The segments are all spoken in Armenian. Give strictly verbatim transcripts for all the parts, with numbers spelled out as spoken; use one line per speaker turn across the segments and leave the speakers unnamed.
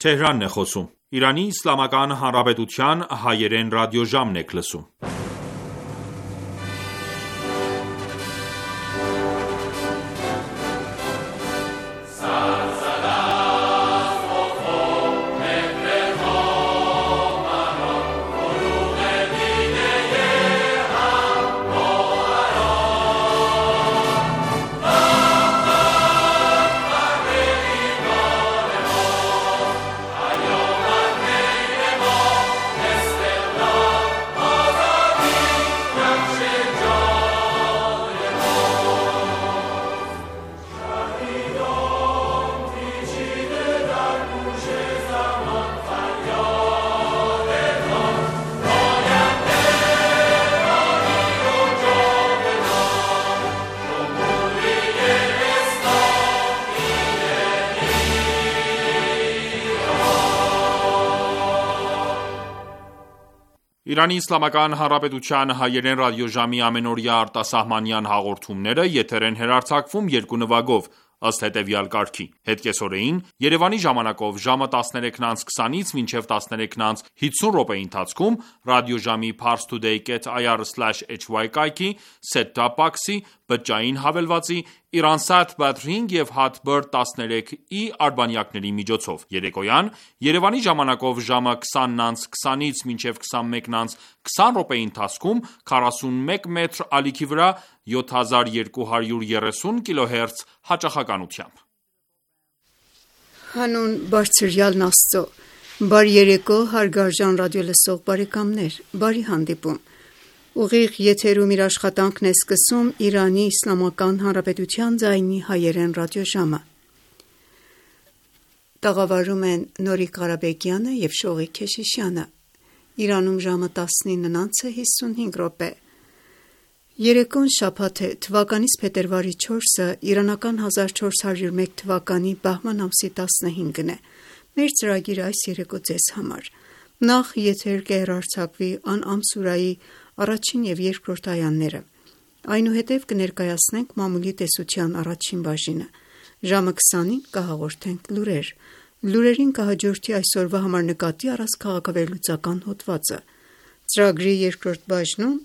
Թեհրանն է խոսում։ Իրանի Իսլամական Հանրապետության հայերեն ռադիոժամն եք լսում։ Իրանի Իսլամական Հանրապետության հայերեն ռադիոժամի ամենօրյա արտասահմանյան հաղորդումները եթեր են հեռարձակվում երկու նվագով, ըստ հետևյալ կարգի: Հետկեսօրեին Երևանի ժամանակով ժամը տասներեքն անց քսանից մինչև տասներեքն անց հիսուն րոպեի ընթացքում ռադիոժամի parstoday dot i r slash h y կայքի, set-top box-ի, բջջային հավելվածի, Iransat Batring և Hotbird տասներեք E արբանյակների միջոցով: Երեկոյան Երևանի ժամանակով ժամը քսանն անց քսանից մինչև քսանմեկն անց քսան րոպեի ընթացքում քառասունմեկ մետր ալիքի վրա յոթ հազար երկու հարյուր երեսուն կիլոհերց հաճախականությամբ:
Հանուն Բարձրյալն Աստծո, բարի երեկո հարգարժան ռադիոլսող բարեկամներ, բարի հանդիպում: Ուղիղ եթերում իր աշխատանքն է սկսում Իրանի Իսլամական Հանրապետության ձայնի հայերեն ռադիոժամը: Տաղավարում են Նորիկ Ղարաբեկյանը և Շողիկ Քեշիշյանը: Իրանում ժամը տասնինն անց է հիսունհինգ րոպե: Երեկոն շաբաթ է, թվականիս փետրվարի չորսը, իրանական հազար չորս հարյուր մեկ թվականի բահման ամսի տասնհինգն է: Մեր ծրագիրը այս երեկո ձեզ համար: Նախ եթեր կհեռարձակվի Ան'ամ սուրայի առաջին և երկրորդ այաները: Այնուհետև կներկայացնենք մամուլի տեսության առաջին բաժինը: Ժամը քսանին կհաղորդենք լուրեր: Լուրերին կհաջորդի այսօրվա համար նկատի առած քաղաքավերլուծական հոդվածը: Ծրագրի երկրորդ բաժնում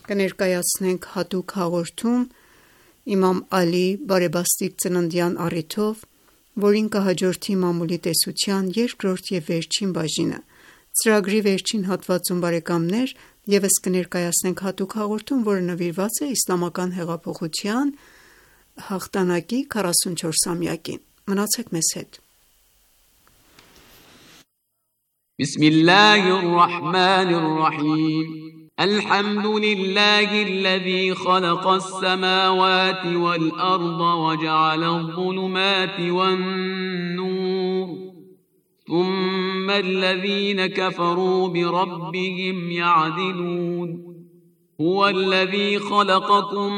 կներկայացնենք հատուկ հաղորդում իմամ Ալի բարեբաստիկ ծննդյան առիթով, որին կհաջորդի մամուլի տեսության երկրորդ և վերջին բաժինը: Ծրագրի վերջին հատվածում ևս կներկայացնենք հատուկ հաղորդում, որը նվիրված է Իսլամական հեղափոխության հաղթանակի քառասունչորսամյակին: Մնացեք մեզ հետ:
الحمد لله الذي خلق السماوات والأرض وجعل الظلمات والنور ثم الذين كفروا بربهم يعدلون هو الذي خلقكم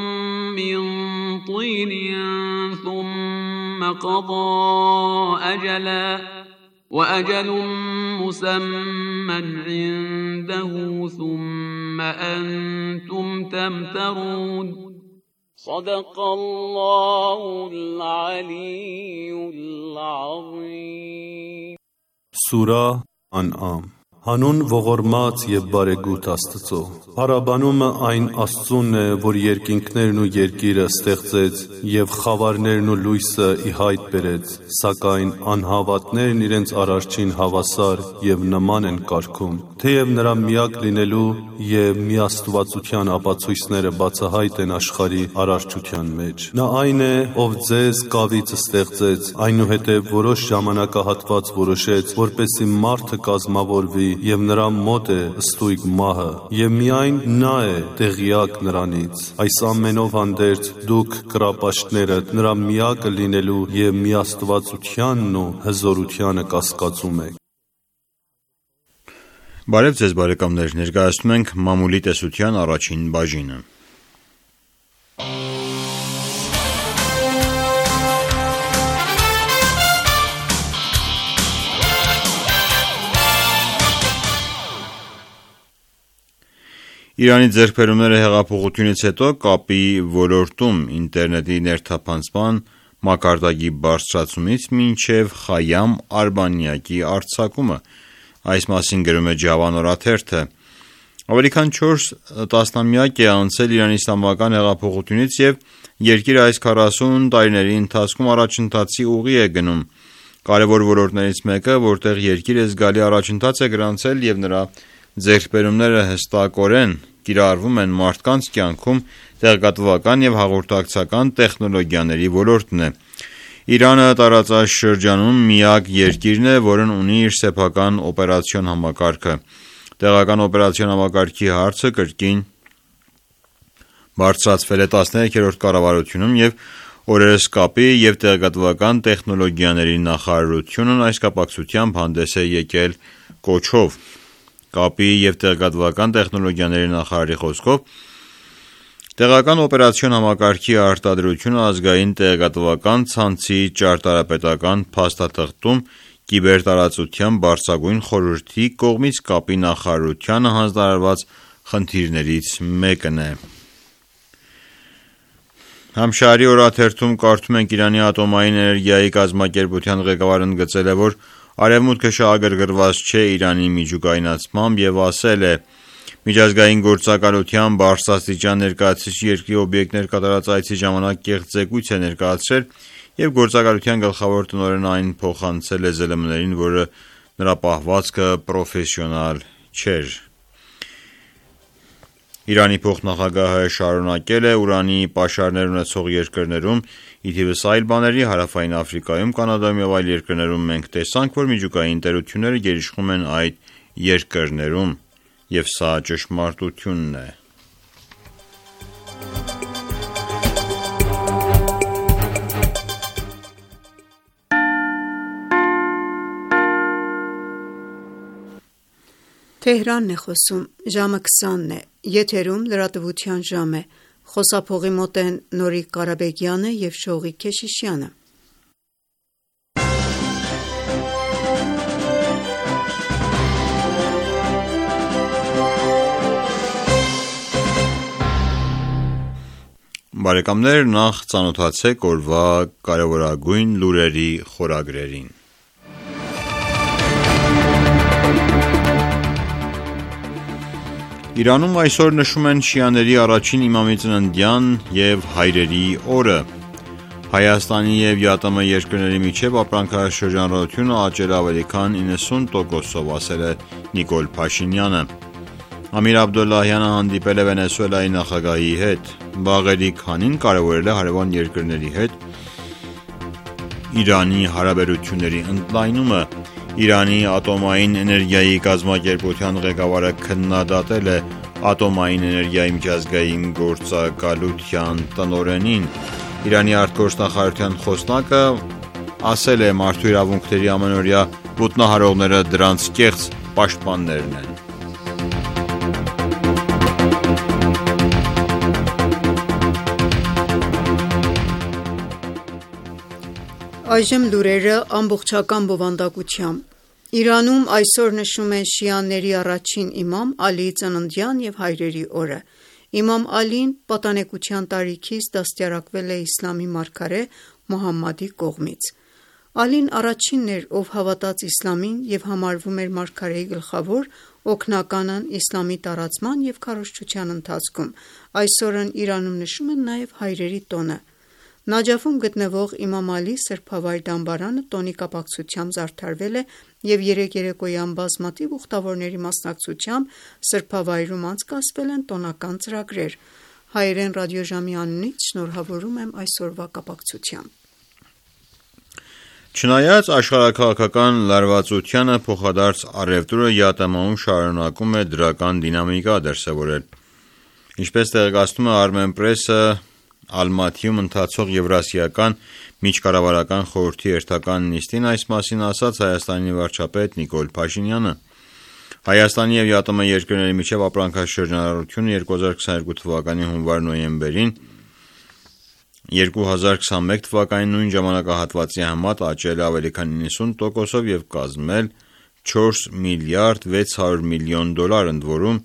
من طين ثم قضى أجلا وأجل مسمى عنده ثم أنتم تمترون صدق الله العلي العظيم
Սուրահ Ան'ամ Հանուն ողորմած և բարեգութ Աստծո: Փառաբանումը այն Աստծուն է, որ երկինքներն ու երկիրը ստեղծեց և խավարներն ու լույսը ի հայտ բերեց, սակայն անհավատներն իրենց Արարչին հավասար և նման են կարգում: Թեև նրա միակ լինելու և միաստվածության ապացույցները բացահայտ են աշխարհի արարչության մեջ: Նա այն է, ով ձեզ կավից ստեղծեց, այնուհետև որոշ ժամանակահատված որոշեց, որպեսզի մարդը կազմավորվի և նրա մոտ է ստույգ մահը, և միայն նա է տեղյակ նրանից: Այս ամենով հանդերձ դուք կռապաշտները նրա միակը լինելու և միաստվածությանն ու հզորությանը կասկածում եք:
Բարև ձեզ բարեկամներ, ներկայացնում ենք մամուլի տեսության առաջին բաժինը: Իրանի ձեռքբերումները հեղափոխությունից հետո կապի ոլորտում ինտերնետի ներթափանցման, մակարդակի բարձրացումից մինչև Խայամ արբանյակի արձակումը։ Այս մասին գրում է Ջավան օրաթերթը։ Ավելի քան չորս տասնամյակ է անցել Իրանի իսլամական հեղափոխությունից և երկիրը այս քառասուն տարիների ընթացքում առաջընթացի ուղի է գնում։ Կարևոր ոլորտներից մեկը, որտեղ երկիրը զգալի առաջընթաց է գրանցել և նրա ձեռքբերումները հստակորեն կիրառվում են մարդկանց կյանքում, տեղեկատվական և հաղորդակցական տեխնոլոգիաների ոլորտն է։ Իրանը տարածաշրջանում միակ երկիրն է, որն ունի իր սեփական օպերացիոն համակարգը։ Տեղական օպերացիոն համակարգի հարցը կրկին բարձրացվել է տասներեքերորդ կառավարությունում և օրերս կապի և տեղեկատվական տեխնոլոգիաների նախարարությունն այս կապակցությամբ հանդես է եկել կոչով։ Կապի և տեղեկատվական տեխնոլոգիաների նախարարի խոսքով, տեղական օպերացիոն համակարգի արտադրությունը ազգային տեղեկատվական ցանցի ճարտարապետական փաստաթղթում կիբերտարածության բարձրագույն խորհրդի կողմից կապի նախարարությանը հանձնարարված խնդիրներից մեկն է։ Համշահրի օրաթերթում կարդում ենք Իրանի ատոմային էներգիայի կազմակերպության ղեկավարը ընդգծել է, որ Արևմուտքը շահագրգռված չէ Իրանի միջուկայնացմամբ և ասել է. «Միջազգային գործակալության բարձրաստիճան ներկայացուցիչ երկրի օբյեկտներ կատարած այցի ժամանակ կեղծ զեկույց է ներկայացրել և գործակալության գլխավոր տնօրենն այն փոխանցել է ԶԼՄ-ներին, որը նրա պահվածքը պրոֆեսիոնալ չէր»։ Իրանի փոխնախագահը շարունակել է ուրանի պաշարներ ունեցող երկրներում, ի թիվս այլ բաների, Հարավային Աֆրիկայում, Կանադայում և այլ երկրներում մենք տեսանք, որ միջուկային տերությունները գերիշխում են այդ երկրներում, և սա ճշմարտությունն է։
Թեհրանն է խոսում, ժամը քսանն է, եթերում լրատվության ժամ է, խոսափողի մոտ են Նորիկ Ղարաբեգյանը և Շողիկ Քեշիշյանը։
Բարեկամներ, նախ ծանոթացեք օրվա կարևորագույն լուրերի խորագրերին։ Իրանում այսօր նշում են շիաների առաջին իմամի ծննդյան և հայրերի օրը։ Հայաստանի և ԵԱՏՄ երկրների միջև ապրանքաշրջանառությունը աճել է ավելի քան իննսուն տոկոսով, ասել է Նիկոլ Փաշինյանը։ Ամիր Աբդոլլահյանը հանդիպել է Վենեսուելայի նախագահի հետ։ Բաղերի քանին կարևորել է հարևան երկրների հետ Իրանի հարաբերությունների ընդլայնումը։ Իրանի ատոմային էներգիայի կազմակերպության ղեկավարը քննադատել է ատոմային էներգիայի միջազգային գործակալության տնօրենին։ Իրանի արտգործնախարարության խոսնակը ասել է մարդու իրավունքների ամանորյա ոտնահարողները դրանց կեղծ պաշտպաններն են։
Այժմ լուրերը ամբողջական բովանդակությամբ։ Իրանում այսօր նշում են շիաների առաջին իմամ Ալիի ծննդյան և հայրերի օրը։ Իմամ Ալին պատանեկության տարիքից դաստիարակվել է իսլամի մարգարե Մոհամմադի կողմից։ Ալին առաջինն էր, ով հավատաց իսլամին և համարվում էր մարգարեի գլխավոր օգնականն իսլամի տարածման և քարոզչության ընթացքում։ Այս օրն Իրանում նշում են նաև հայրերի տոնը։ Նաջաֆում գտնվող Իմամ Ալի սրբավայր դամբարանը տոնի կապակցությամբ զարդարվել է և երեկ երեկոյան բազմաթիվ ուխտավորների մասնակցությամբ սրբավայրում անցկացվել են տոնական ծրագրեր։ Հայերեն ռադիոժամի անունից շնորհավորում եմ այսօրվա կապակցությամբ։
Չնայած աշխարհաքաղաքական լարվածությանը, փոխադարձ առևտուրը ԵԱՏՄ-ում շարունակում է դրական դինամիկա դրսևորել։ Ինչպես տեղեկացնում է Armenpress-ը, Ալմաթիում ընթացող Եվրասիական միջկառավարական խորհրդի հերթական նիստին այս մասին ասաց Հայաստանի վարչապետ Նիկոլ Փաշինյանը։ Հայաստանի և ԵԱՏՄ երկրների միջև ապրանքաշրջանառությունը երկու հազար քսաներկու թվականի հունվար-նոյեմբերին երկու հազար քսանմեկ թվականի նույն ժամանակահատվածի համեմատ աճել է ավելի քան իննսուն տոկոսով և կազմել չորս միլիարդ վեց հարյուր միլիոն դոլար, ընդ որում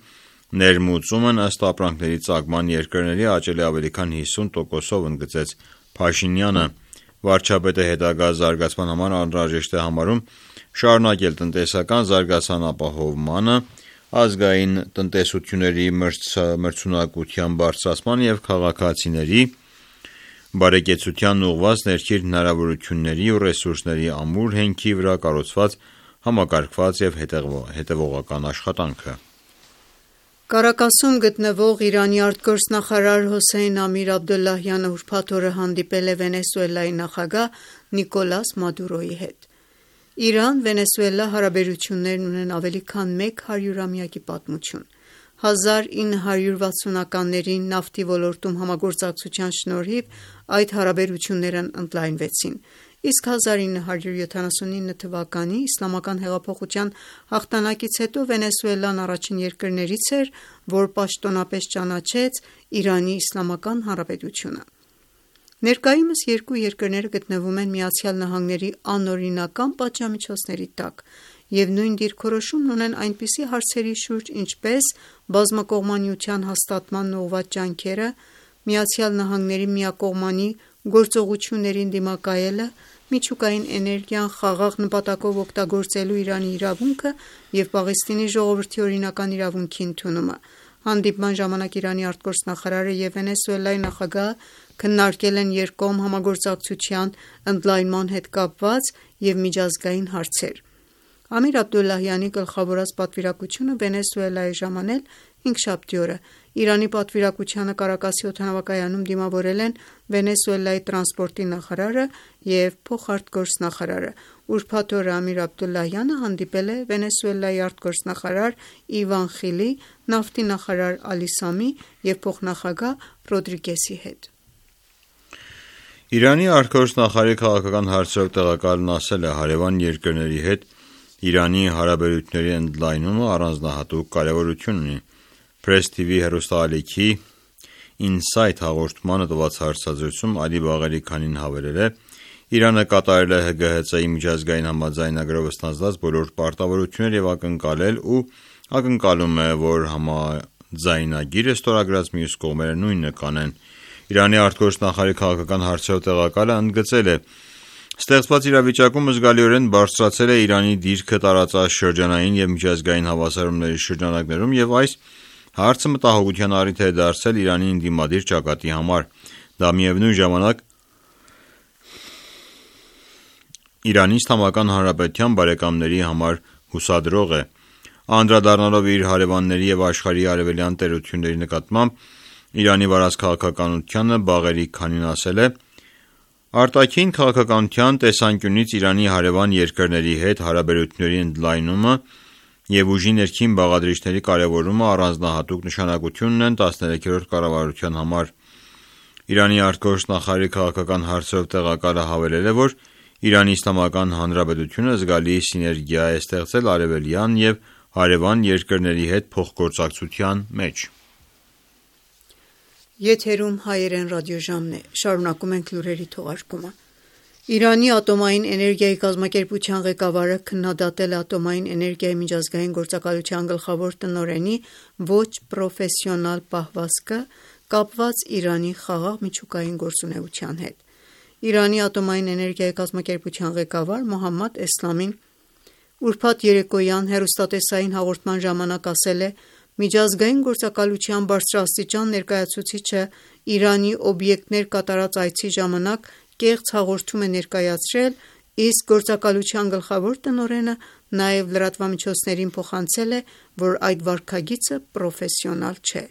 ներմուծումն ըստ ապրանքների ծագման երկրների աճել է ավելի քան հիսուն տոկոսով, ընդգծեց Փաշինյանը։ Վարչապետը հետագա զարգացման համար անհրաժեշտ է համարում շարունակել տնտեսական զարգացման ապահովմանը, ազգային տնտեսությունների մրցունակության բարձրացման և քաղաքացիների բարեկեցությանն ուղղված ներքին հնարավորությունների ու ռեսուրսների ամուր հենքի վրա կառուցված համակարգված և հետևողական աշխատանքը։
Կարակասում գտնվող Իրանի արտգործնախարար Հոսեյն Ամիր Աբդոլլահյանը ուրբաթ օրը հանդիպել է Վենեսուելայի նախագահ Նիկոլաս Մադուրոյի հետ։ Իրան-Վենեսուելա հարաբերություններն ունեն ավելի քան մեկ հարյուրամյակի պատմություն։ հազար ինը հարյուր վաթսունականներին նավթի ոլորտում համագործակցության շնորհիվ այդ հարաբերություններն ընդլայնվեցին, իսկ հազար ինը հարյուր յոթանասունինը թվականի իսլամական հեղափոխության հաղթանակից հետո Վենեսուելան առաջին երկրներից էր, որ պաշտոնապես ճանաչեց Իրանի Իսլամական Հանրապետությունը։ Ներկայումս երկու երկրները գտնվում են ԱՄՆ-ի անօրինական պատժամիջոցների տակ և նույն դիրքորոշումն ունեն այնպիսի հարցերի շուրջ, ինչպես բազմակողմանիության հաստատմանն ուղղված ջանքերը, ԱՄՆ-ի միակողմանի գործողություններին դիմակայելը, միջուկային էներգիան խաղաղ նպատակով օգտագործելու Իրանի իրավունքը և Պաղեստինի ժողովրդի օրինական իրավունքի ընդունումը։ Հանդիպման ժամանակ Իրանի արտգործնախարարը և Վենեսուելայի նախագահը քննարկել են երկկողմ համագործակցության ընդլայնման հետ կապված և միջազգային հարցեր։ Ամիր Աբդոլլահյանի գլխավորած պատվիրակությունը Վենեսուելա է ժամանել հինգշաբթի օրը։ Իրանի պատվիրակությանը Կարակասի օդանավակայանում դիմավորել են Վենեսուելայի տրանսպորտի նախարարը և փոխարտգործնախարարը։ Ուրբաթ օրը Ամիր Աբդոլլահյանը հանդիպել է Վենեսուելայի արտգործնախարար Իվան Խիլի, նավթի նախարար Ալի Սամի և փոխնախագահ Ռոդրիգեսի հետ։
Իրանի արտգործնախարարի քաղաքական հարցերով տեղակալն ասել է. հարևան երկրների հետ Իրանի հարաբերությունների ընդլայնումը առանձնահատուկ կարևորություն ունի։ Press T V հեռուստաալիքի Insight հաղորդմանը տված հարցազրույցում Ալի Բաղերիքանին հավելել է. Իրանը կատարել է Հ G H C-ի միջազգային համաձայնագրով ստանձնած բոլոր պարտավորությունները և ակնկալել ու ակնկալում է, որ համաձայնագիրը ստորագրած մյուս կողմերը նույնը կանեն։ Իրանի արտգործնախարարի քաղաքական հարցերով տեղակալը ընդգծել է. Ստեղծված իրավիճակում զգալիորեն բարձրացել է Իրանի դիրքը տարածաշրջանային և միջազգային հավասարումների շրջանակներում և այս հարցը մտահոգության առիթ է դարձել Իրանի ընդդիմադիր ճակատի համար։ Դա միևնույն ժամանակ Իրանի Իսլամական Հանրապետության բարեկամների համար հուսադրող է։ Անդրադառնալով իր հարևանների և աշխարհի արևելյան տերությունների նկատմամբ Իրանի վարած քաղաքականությանը Բաղերիքանին ասել է. Արտաքին քաղաքականության տեսանկյունից Իրանի հարևան երկրների հետ հարաբերությունների ընդլայնումը և ուժի ներքին բաղադրիչների կարևորումը առանձնահատուկ նշանակություն ունեն տասներեքերորդ կառավարության համար։ Իրանի արտգործնախարարի քաղաքական հարցերով տեղակալը հավելել է, որ Իրանի Իսլամական Հանրապետությունը զգալի սիներգիա է ստեղծել արևելյան և հարևան երկրների հետ փոխգործակցության մեջ։
Եթերում հայերեն ռադիոժամն է։ Շարունակում ենք լուրերի թողարկումը։ Իրանի ատոմային էներգիայի կազմակերպության ղեկավարը քննադատել է Ատոմային էներգիայի միջազգային գործակալության գլխավոր տնօրենի ոչ պրոֆեսիոնալ պահվածքը կապված Իրանի խաղաղ միջուկային գործունեության հետ։ Իրանի ատոմային էներգիայի կազմակերպության ղեկավար Մոհամմադ Էսլամին ուրբաթ երեկոյան հեռուստատեսային հաղորդման ժամանակ ասել է. Միջազգային գործակալության բարձրաստիճան ներկայացուցիչը Իրանի օբյեկտներ կատարած այցի ժամանակ կեղծ հաղորդում է ներկայացրել, իսկ գործակալության գլխավոր տնօրենը նաև լրատվամիջոցներին փոխանցել է, որ այդ վարքագիծը պրոֆեսիոնալ չէ,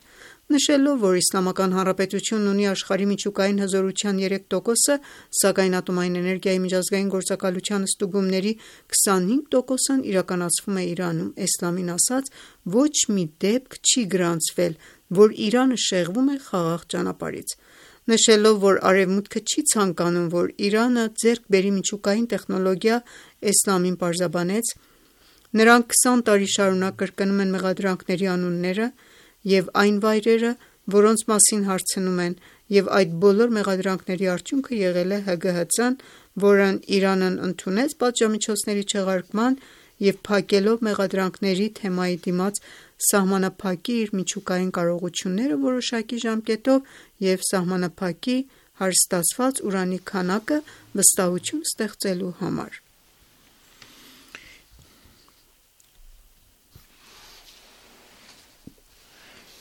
նշելով, որ Իսլամական Հանրապետությունն ունի աշխարհի միջուկային հզորության երեք տոկոսը, սակայն Ատոմային էներգիայի միջազգային գործակալության ստուգումների քսանհինգ տոկոսն իրականացվում է Իրանում։ Էսլամին ասաց. ոչ մի դեպք չի գրանցվել, որ Իրանը շեղվում է խաղաղ ճանապարհից։ Նշելով, որ Արևմուտքը չի ցանկանում, որ Իրանը ձեռք բերի միջուկային տեխնոլոգիա, Էսլամին պարզաբանեց. նրանք քսան տարի շարունակ կրկնում են մեղադրանքների անունները և այն վայրերը, որոնց մասին հարցնում են, և այդ բոլոր մեղադրանքների արդյունքը եղել է Հ G H C-ն, որն Իրանն ընդունեց պատժամիջոցների չեղարկման և փակելով մեղադրանքների թեմայի դիմաց սահմանափակի իր միջուկային կարողությունները որոշակի ժամկետով և սահմանափակի հարստացված ուրանի քանակը վստահություն ստեղծելու համար։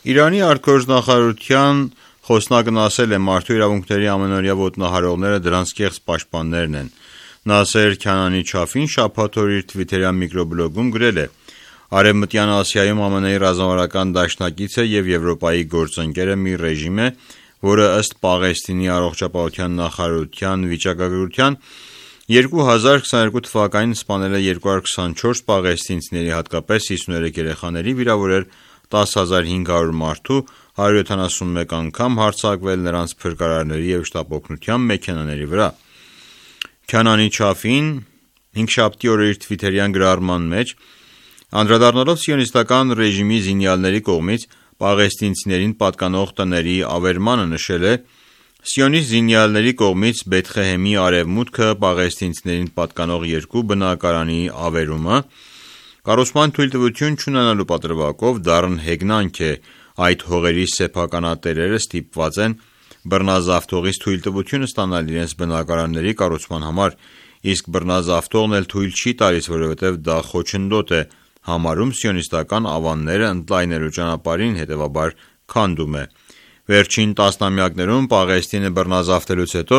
Իրանի արտգործնախարարության խոսնակն ասել է, մարդու իրավունքների ամենօրյա ոտնահարողները դրանց կեղծ պաշտպաններն են։ Նասեր Քանանի Չաֆին շաբաթ օր իր թվիթերյան միկրոբլոգում գրել է. Արևմտյան Ասիայում ԱՄՆ-ի ռազմավարական դաշնակիցը եւ Եվրոպայի գործընկերը մի ռեժիմ է, որը ըստ Պաղեստինի առողջապահության նախարարության վիճակագրության երկու հազար քսաներկու թվականին սպանել է երկու հարյուր քսանչորս պաղեստինցիների, հատկապես հիսուներեք երեխաների, վիրավորել տասը հազար հինգ հարյուր մարդու, հարյուր յոթանասունմեկ անգամ հարձակվել նրանց փրկարարների եւ շտապօգնության մեքենաների վրա։ Քանանի Չաֆին հինգշաբթի օրը իր թվիթերյան գրառման մեջ անդրադառնալով սիոնիստական ռեժիմի զինյալների կողմից պաղեստինցիներին պատկանող տների ավերմանը նշել է. Սիոնիստ զինյալների կողմից Բեթխեհեմի արևմուտքը պաղեստինցիներին պատկանող երկու բնակարանի ավերումը կառուցման թույլտվություն չունենալու պատրվակով դառն հեգնանք է, այդ հողերի սեփականատերերը ստիպված են բռնազավթողից թույլտվություն ստանալ իրենց բնակարանների կառուցման համար, իսկ բռնազավթողն էլ թույլ չի տալիս, որովհետև դա խոչընդոտ է համարում սիոնիստական ավանները ընդլայնելու ճանապարհին, հետևաբար քանդում է։ Վերջին տասնամյակներում Պաղեստինը բռնազավթելուց հետո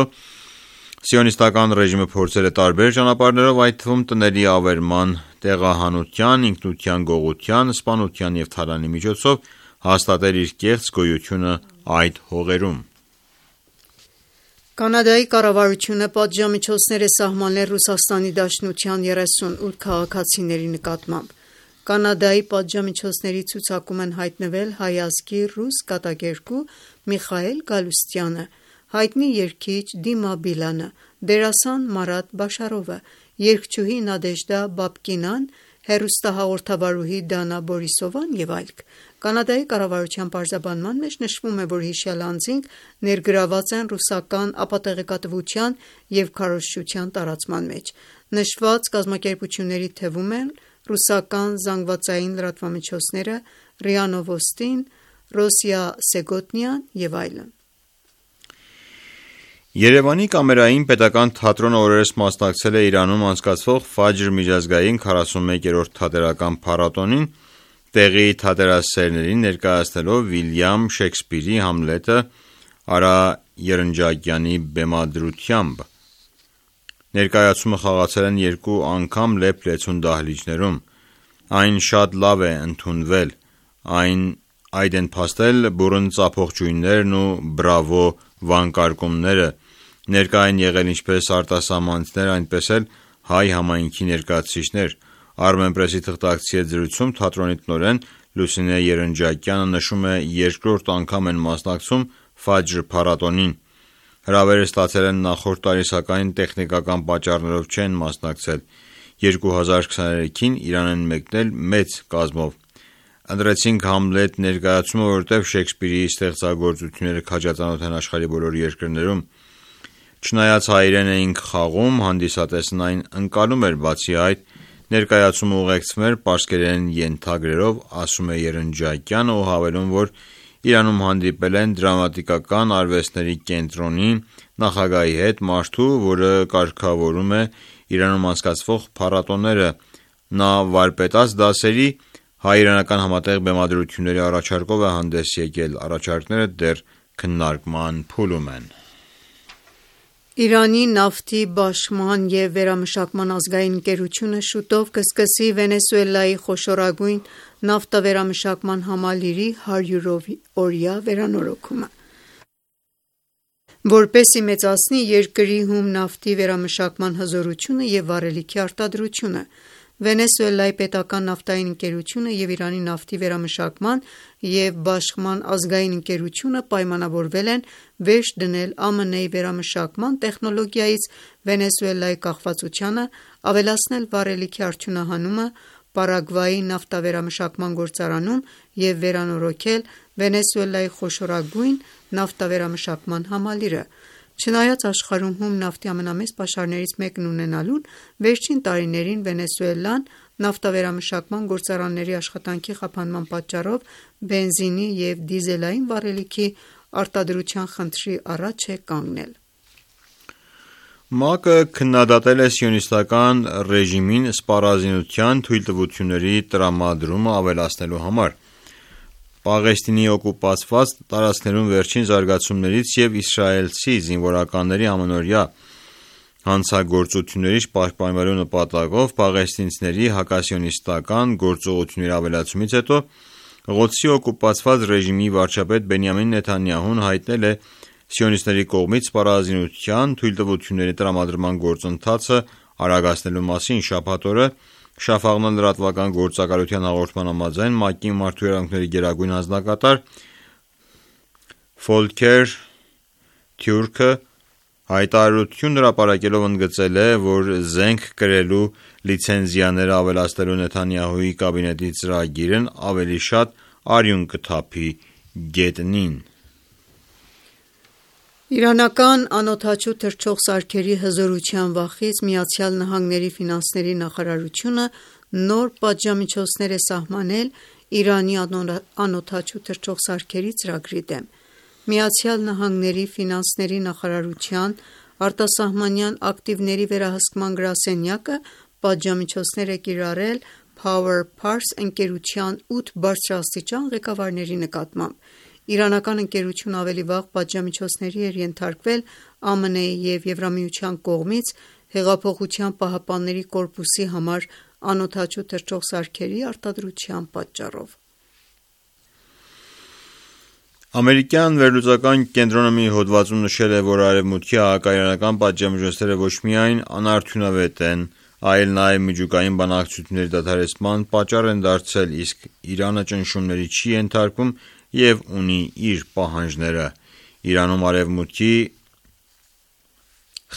սիոնիստական ռեժիմը փորձել է տարբեր ճանապարհներով, այդ թվում տների ավերման, տեղահանության, ինքնության գողության, սպանության եւ թալանի միջոցով հաստատել իր կեղծ գոյությունը այդ հողերում։
Կանադայի կառավարությունը պատժամիջոցներ է սահմանել Ռուսաստանի Դաշնության երեսունութ քաղաքացիների նկատմամբ։ Կանադայի պատժամիջոցների ցուցակում են հայտնվել հայ ազգի ռուս կատակերգու Միխայել Գալուստյանը, հայտնի երգիչ Դիմա Բիլանը, դերասան Մարատ Բաշարովը, երգչուհի Նադեժդա Բաբկինան, հեռուստահաղորդավարուհի Դանա Բորիսովան եւ այլք։ Կանադայի կառավարության պարզաբանման մեջ նշվում է, որ հիշյալ անձինք ներգրաված են ռուսական ապատեղեկատվության եւ քարոզչության տարածման մեջ։ Նշված կազմակերպությունների թվում են ռուսական զանգվածային լրատվամիջոցները, ՌԻԱ Նովոստին, Ռոսիա Սեգոտնյան եւ այլն։
Երևանի կամերային պետական թատրոնը օրերս մասնակցել է Իրանում անցկացվող Ֆաջր միջազգային քառասունմեկերորդ թատերական փառատոնին, տեղի թատերասերներին ներկայացնելով Վիլյամ Շեքսպիրի Համլետը Արա Երնջակյանի բեմադրությամբ։ Ներկայացումը խաղացել են երկու անգամ լեփ-լեցուն դահլիճներում։ Այն շատ լավ է ընդունվել, այն այդ են փաստել բուռն ծափող ջույններն ու բրավո վանկարկումները, ներկա են եղել ինչպես արտասահմանցիներ, այնպես էլ հայ համայնքի ներկայացուցիչներ։ Armenpress-ի թղթակցի հետ զրույցում թատրոնի տնօրեն Լուսինե Երնջակյանը նշում է, երկրորդ անգամ են մասնակցում Ֆաջր փառատոնին։ Հրավերը ստացել են նախորդ տարի, սակայն տեխնիկական պատճառներով չեն մասնակցել։ երկու հազար քսաներեքին Իրան են մեկնել մեծ կազմով։ Ընտրեցինք Համլետ ներկայացումը, որովհետև Շեքսպիրի ստեղծագործությունները քաջածանոթ են աշխարհի բոլոր երկրներում։ Չնայած հայերեն էինք խաղում, հանդիսատեսն այն ընկալում էր, բացի այդ, ներկայացումը ուղեկցվում էր պարսկերեն ենթագրերով, ասում է Երնջակյանը ու հավելում, որ Իրանում հանդիպել են դրամատիկական արվեստների կենտրոնի նախագահի հետ, մարդու, որը կարգավորում է Իրանում անցկացվող փառատոները։ Նա վարպետաց դասերի հայ-իրանական համատեղ բեմադրությունների առաջարկով է հանդես եկել, առաջարկները դեռ քննարկման փուլում են։
Իրանի նավթի բաշխման և վերամշակման ազգային ընկերությունը շուտով կսկսի Վենեսուելայի խոշորագույն նավթավերամշակման համալիրի հարյուրօրյա վերանորոգումը, որպեսզի մեծացնի երկրի հում նավթի վերամշակման հզորությունը և վառելիքի արտադրությունը։ Վենեսուելայի պետական նավթային ընկերությունը և Իրանի նավթի վերամշակման և բաշխման ազգային ընկերությունը պայմանավորվել են վերջ դնել ԱՄՆ-ի վերամշակման տեխնոլոգիայից Վենեսուելայի կախվածությանը, ավելացնել վառելիքի արդյունահանումը Պարագվայի նավթավերամշակման գործարանում և վերանորոգել Վենեսուելայի խոշորագույն նավթավերամշակման համալիրը։ Չնայած աշխարհում հում նավթի ամենամեծ պաշարներից մեկն ունենալուն, վերջին տարիներին Վենեսուելան նավթավերամշակման գործարանների աշխատանքի խափանման պատճառով բենզինի և դիզելային վառելիքի արտադրության խնդրի առաջ է կանգնել։
ՄԱԿ-ը քննադատել է սիոնիստական ռեժիմին սպառազինության թույլտվությունների տրամադրումը ավելացնելու համար։ Պաղեստինի օկուպացված տարածքներում վերջին զարգացումներից և իսրայելցի զինվորականների ամանորյա հանցագործություններից պաշտպանվելու նպատակով պաղեստինցիների հակասիոնիստական գործողությունների ավելացումից հետո Ղոդսի օկուպացված ռեժիմի վարչապետ Բենյամին Նեթանյահուն հայտնել է սիոնիստների կողմից սպառազինության թույլտվությունների տրամադրման գործընթացը արագացնելու մասին։ Շաբաթ օրը Շաֆաղնա լրատվական գործակալության հաղորդման համաձայն ՄԱԿ-ի մարդու իրավունքների գերագույն հանձնակատար Ֆոլքեր Թյուրքը հայտարարություն հրապարակելով ընդգծել է, որ զենք կրելու լիցենզիաները ավելացնելու Նեթանյահուի կաբինետի ծրագիրն ավելի շատ արյուն կթափի գետնին։
Իրանական անօդաչու թռչող սարքերի հզորության վախից ԱՄՆ ֆինանսների նախարարությունը նոր պատժամիջոցներ է սահմանել Իրանի անօդաչու թռչող սարքերի ծրագրի դեմ։ ԱՄՆ ֆինանսների նախարարության արտասահմանյան ակտիվների վերահսկման գրասենյակը պատժամիջոցներ է կիրառել Power Pars ընկերության ութ բարձրաստիճան ղեկավարների նկատմամբ։ Իրանական ընկերությունը ավելի վաղ պատժամիջոցների էր ենթարկվել ԱՄՆ-ի և Եվրամիության կողմից Հեղափոխության պահապանների կորպուսի համար անօդաչու թռչող սարքերի արտադրության պատճառով։
Ամերիկյան վերլուծական կենտրոնը մի հոդվածում նշել է, որ Արևմուտքի հակաիրանական պատժամիջոցները ոչ միայն անարդյունավետ են, այլ նաև միջուկային բանակցությունների դադարեցման պատճառ են դարձել, իսկ Իրանը ճնշումների չի ենթարկվում և ունի իր պահանջները։ Իրանում Արևմուտքի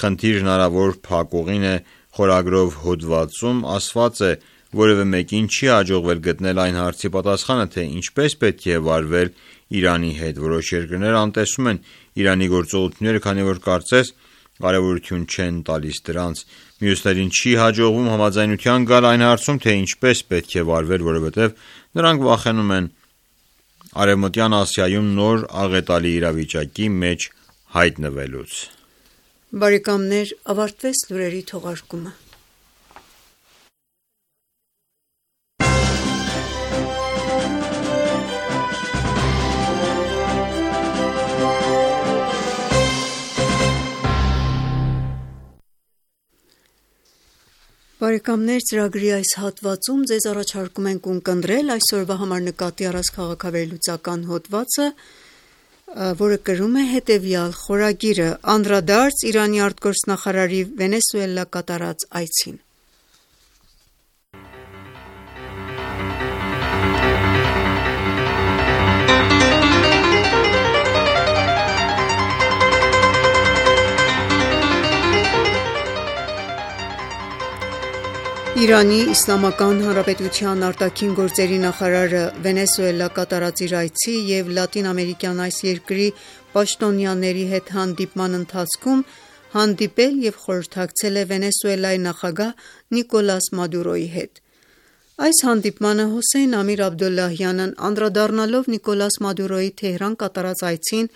խնդիր հնարավոր փակուղին է խորագրով հոդվածում ասված է. որևէ մեկին չի հաջողվել գտնել այն հարցի պատասխանը, թե ինչպես պետք է վարվել Իրանի հետ։ Որոշ երկրներ անտեսում են Իրանի գործողությունները, քանի որ կարծես կարևորություն չեն տալիս դրանց։ Մյուսներին չի հաջողվում համաձայնության գալ այն հարցում, թե ինչպես պետք է վարվել, որովհետև նրանք վախենում են Արևմտյան Ասիայում նոր աղետալի իրավիճակի մեջ հայտնվելուց։
Բարեկամներ, ավարտվեց լուրերի թողարկումը։ Բարեկամներ, ծրագրի այս հատվածում ձեզ առաջարկում ենք ունկնդրել այսօրվա համար նկատի առած քաղաքավերլուծական հոդվածը, որը կրում է հետևյալ խորագիրը՝ Անդրադարձ Իրանի արտգործնախարարի Վենեսուելա կատարած այցին։ Իրանի Իսլամական Հանրապետության արտաքին գործերի նախարարը Վենեսուելա կատարած իր այցի և լատինամերիկյան այս երկրի պաշտոնյաների հետ հանդիպման ընթացքում հանդիպել և խորհրդակցել է Վենեսուելայի նախագահ Նիկոլաս Մադուրոյի հետ։ Այս հանդիպմանը Հոսեյն Ամիր Աբդոլլահյանն անդրադառնալով Նիկոլաս Մադուրոյի Թեհրան կատարած այցին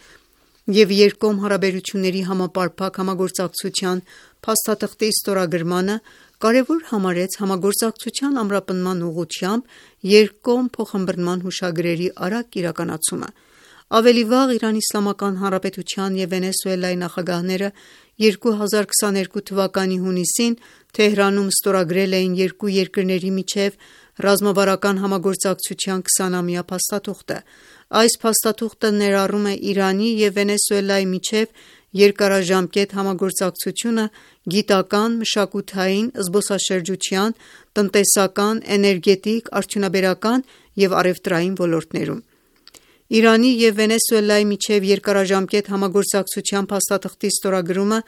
և երկկողմ հարաբերությունների համապարփակ համագործակցության փաստաթղթի ստորագրմանը, կարևոր համարեց համագործակցության ամրապնդման ուղղությամբ երկկողմ փոխըմբռնման հուշագրերի արագ իրականացումը։ Ավելի վաղ Իրանի Իսլամական Հանրապետության և Վենեսուելայի նախագահները երկու հազար քսաներկու թվականի հունիսին Թեհրանում ստորագրել էին երկու երկրների միջև ռազմավարական համագործակցության քսանամյա փաստաթուղթը։ Այս փաստաթուղթը ներառում է Իրանի և Վենեսուելայի միջև երկարաժամկետ համագործակցությունը գիտական, մշակութային, զբոսաշրջության, տնտեսական, էներգետիկ, արդյունաբերական և առևտրային ոլորտներում։ Իրանի և Վենեսուելայի միջև երկարաժամկետ համագործակցության փաստաթղթի ստորագրումը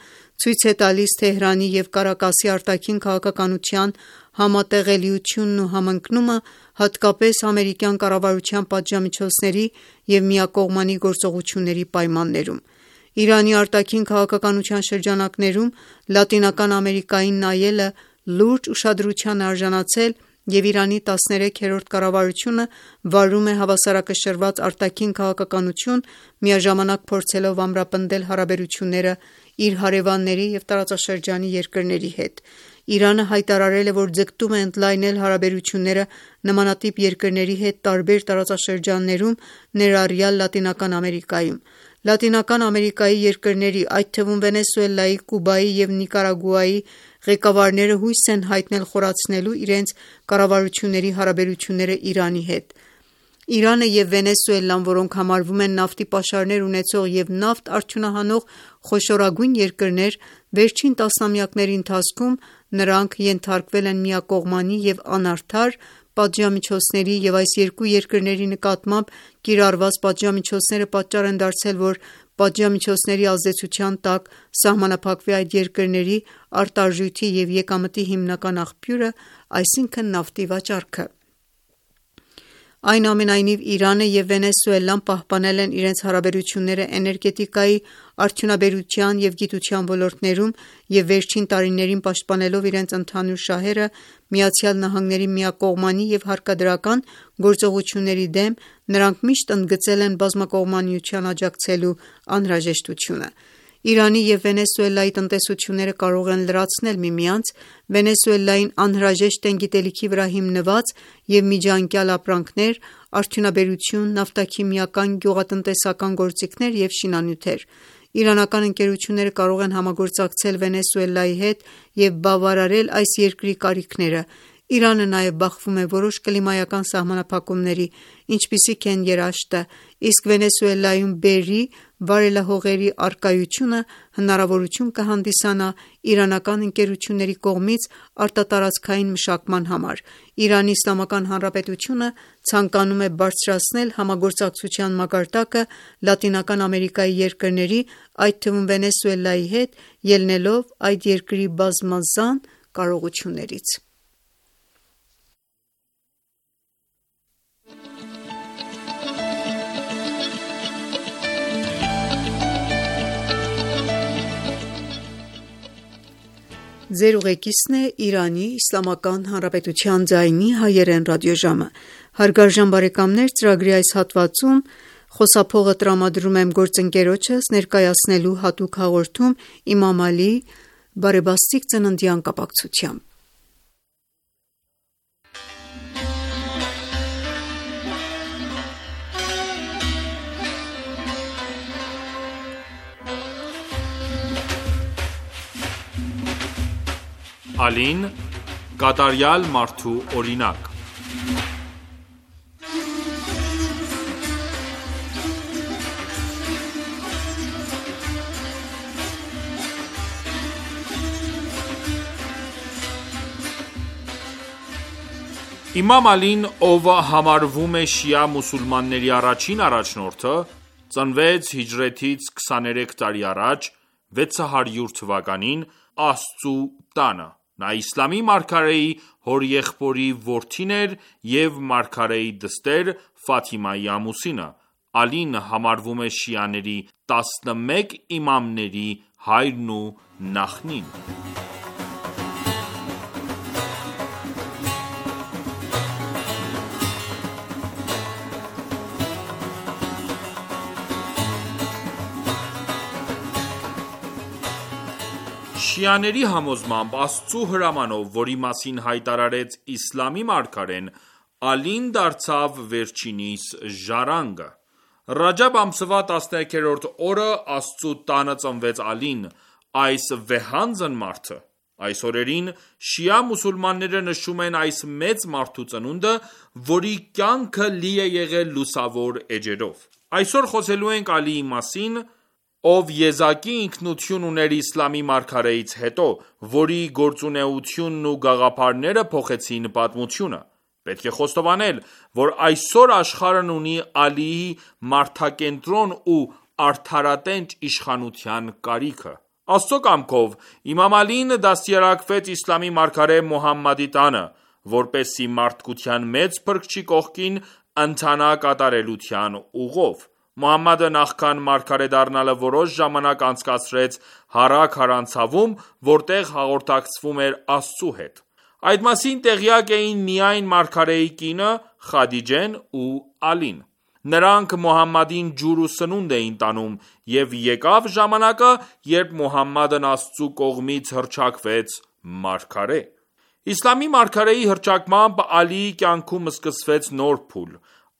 ցույց է տալիս Թեհրանի և Կարակասի արտաքին քաղաքականության համատեղելիությունն ու համընկնումը, հատկապես ամերիկյան կառավարության պատժամիջոցների և միակողմանի գործողությունների պայմաններում։ Իրանի արտաքին քաղաքականության շրջանակներում Լատինական Ամերիկային նայելը լուրջ ուշադրության է արժանացել և Իրանի տասներեքերորդ կառավարությունը վարում է հավասարակշռված արտաքին քաղաքականություն, միաժամանակ փորձելով ամրապնդել հարաբերությունները իր հարևանների և տարածաշրջանի երկրների հետ: Իրանը հայտարարել է, որ ձգտում է ընդլայնել հարաբերությունները նմանատիպ երկրների հետ տարբեր տարածաշրջաններում, ներառյալ Լատինական Ամերիկայում: Լատինական Ամերիկայի երկրների, այդ թվում Վենեսուելայի, Կուբայի և Նիկարագուայի ղեկավարները հույս են հայտնել խորացնելու իրենց կառավարությունների հարաբերությունները Իրանի հետ: Իրանը և Վենեսուելան, որոնք համարվում են նավթի պաշարներ ունեցող և նավթ արդյունահանող խոշորագույն երկրներ, վերջին տասնամյակների ընթացքում նրանք ենթարկվել են միակողմանի և անարդար պատժամիջոցների և այս երկու երկրների նկատմամբ կիրառված պատժամիջոցները պատճառ են դարձել, որ պատժամիջոցների ազդեցության տակ սահմանափակվի այդ երկրների արտարժույթի և եկամտի հիմնական աղբյուրը, այսինքն նավթի վաճառքը: Այնուամենայնիվ, Իրանը և Վենեսուելան պահպանել են իրենց հարաբերությունները էներգետիկայի, արդյունաբերության և գիտության ոլորտներում և վերջին տարիներին պաշտպանելով իրենց ընդհանուր շահերը ԱՄՆ-ի միակողմանի և հարկադրական գործողությունների դեմ, նրանք միշտ ընդգծել են բազմակողմանիությանը աջակցելու անհրաժեշտությունը: Իրանի և Վենեսուելայի տնտեսությունները կարող են լրացնել միմյանց: Վենեսուելային անհրաժեշտ են գիտելիքի վրա հիմնված և միջանկյալ ապրանքներ, արդյունաբերություն, նավթաքիմիական, գյուղատնտեսական գործիքներ և շինանյութեր: Իրանական ընկերությունները կարող են համագործակցել Վենեսուելայի հետ և բավարարել այս երկրի կարիքները: Իրանը նաև բախվում է որոշ կլիմայական սահմանափակումների, ինչպիսիք են երաշտը, իսկ Վենեսուելայում բերրի վարելահողերի առկայությունը հնարավորություն կհանդիսանա իրանական ընկերությունների կողմից արտատարածքային մշակման համար: Իրանի Իսլամական Հանրապետությունը ցանկանում է բարձրացնել համագործակցության մակարդակը Լատինական Ամերիկայի երկրների, այդ թվում Վենեսուելայի հետ, ելնելով այդ երկրի բազմազան կարողություններից:
Ալին՝ կատարյալ մարդու օրինակ: Իմամ Ալին, ով համարվում է շիա մուսուլմանների առաջին առաջնորդը, ծնվեց հիջրեթից քսաներեք տարի առաջ՝ վեց հարյուր թվականին, Աստծու տանը: Նա իսլամի մարգարեի հորեղբորի որդին էր և մարգարեի դստեր Ֆաթիմայի ամուսինը: Ալին համարվում է շիաների տասնմեկ իմամների հայրն ու նախնին: Շիաների համոզմամբ, Աստծու հրամանով, որի մասին հայտարարեց իսլամի մարգարեն, Ալին դարձավ վերջինիս ժառանգը: Ռաջամբ ամսվա տասներեքերորդ օրը Աստծու տանը ծնվեց Ալին, այս վեհանձն մարդը: Այս օրերին շիա մուսուլմանները նշում են այս մեծ մարդու ծնունդը, որի կյանքը լի է եղել լուսավոր էջերով: Այսօր խոսելու ենք Ալիի մասին, ով եզակի ինքնություն ուներ իսլամի մարգարեից հետո, որի գործունեությունն ու գաղափարները փոխեցին պատմությունը: Պետք է խոստովանել, որ այսօր աշխարհն ունի Ալիի մարդակենտրոն ու արդարատենչ իշխանության կարիքը: Աստծու կամքով, իմամ Ալին դաստիարակվեց իսլամի մարգարե Մոհամմադի տանը, որպեսզի մարդկության մեծ փրկչի կողքին ընթանա կատարելության ուղով: Մոհամմադը նախքան մարգարե դառնալը որոշ ժամանակ անցկացրեց Հարա քարանձավում, որտեղ հաղորդակցվում էր Աստծու հետ: Այդ մասին տեղյակ էին միայն մարգարեի կինը Խադիջեն ու Ալին: Նրանք Մուհամմադին ջուր ու սնունդ էին տանում, և եկավ ժամանակը, երբ Մուհամմադն Աստծու կողմից հռչակվեց մարգարե: Իսլամի մարգարեի հռչակմամբ Ալիի կյանքում սկսվեց նոր փուլ: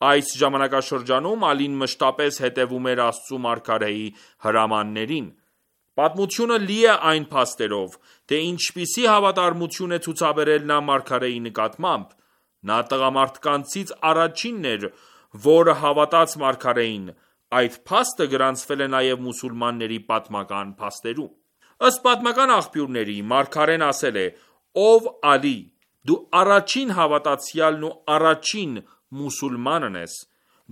Այս ժամանակաշրջանում Ալին մշտապես հետևում էր Աստծու մարգարեի հրամաններին: Պատմությունը լի է այն փաստերով, թե ինչպիսի հավատարմություն է ցուցաբերել նա մարգարեի նկատմամբ: Նա տղամարդկանցից առաջինն էր, որ հավատաց մարգարեին: Այդ փաստը գրանցվել է նաև մուսուլմանների պատմական փաստերում: Ըստ պատմական աղբյուրների, մարգարեն ասել է. «Ով Ալի, դու առաջին հավատացյալն ու առաջին մուսուլմանն ես: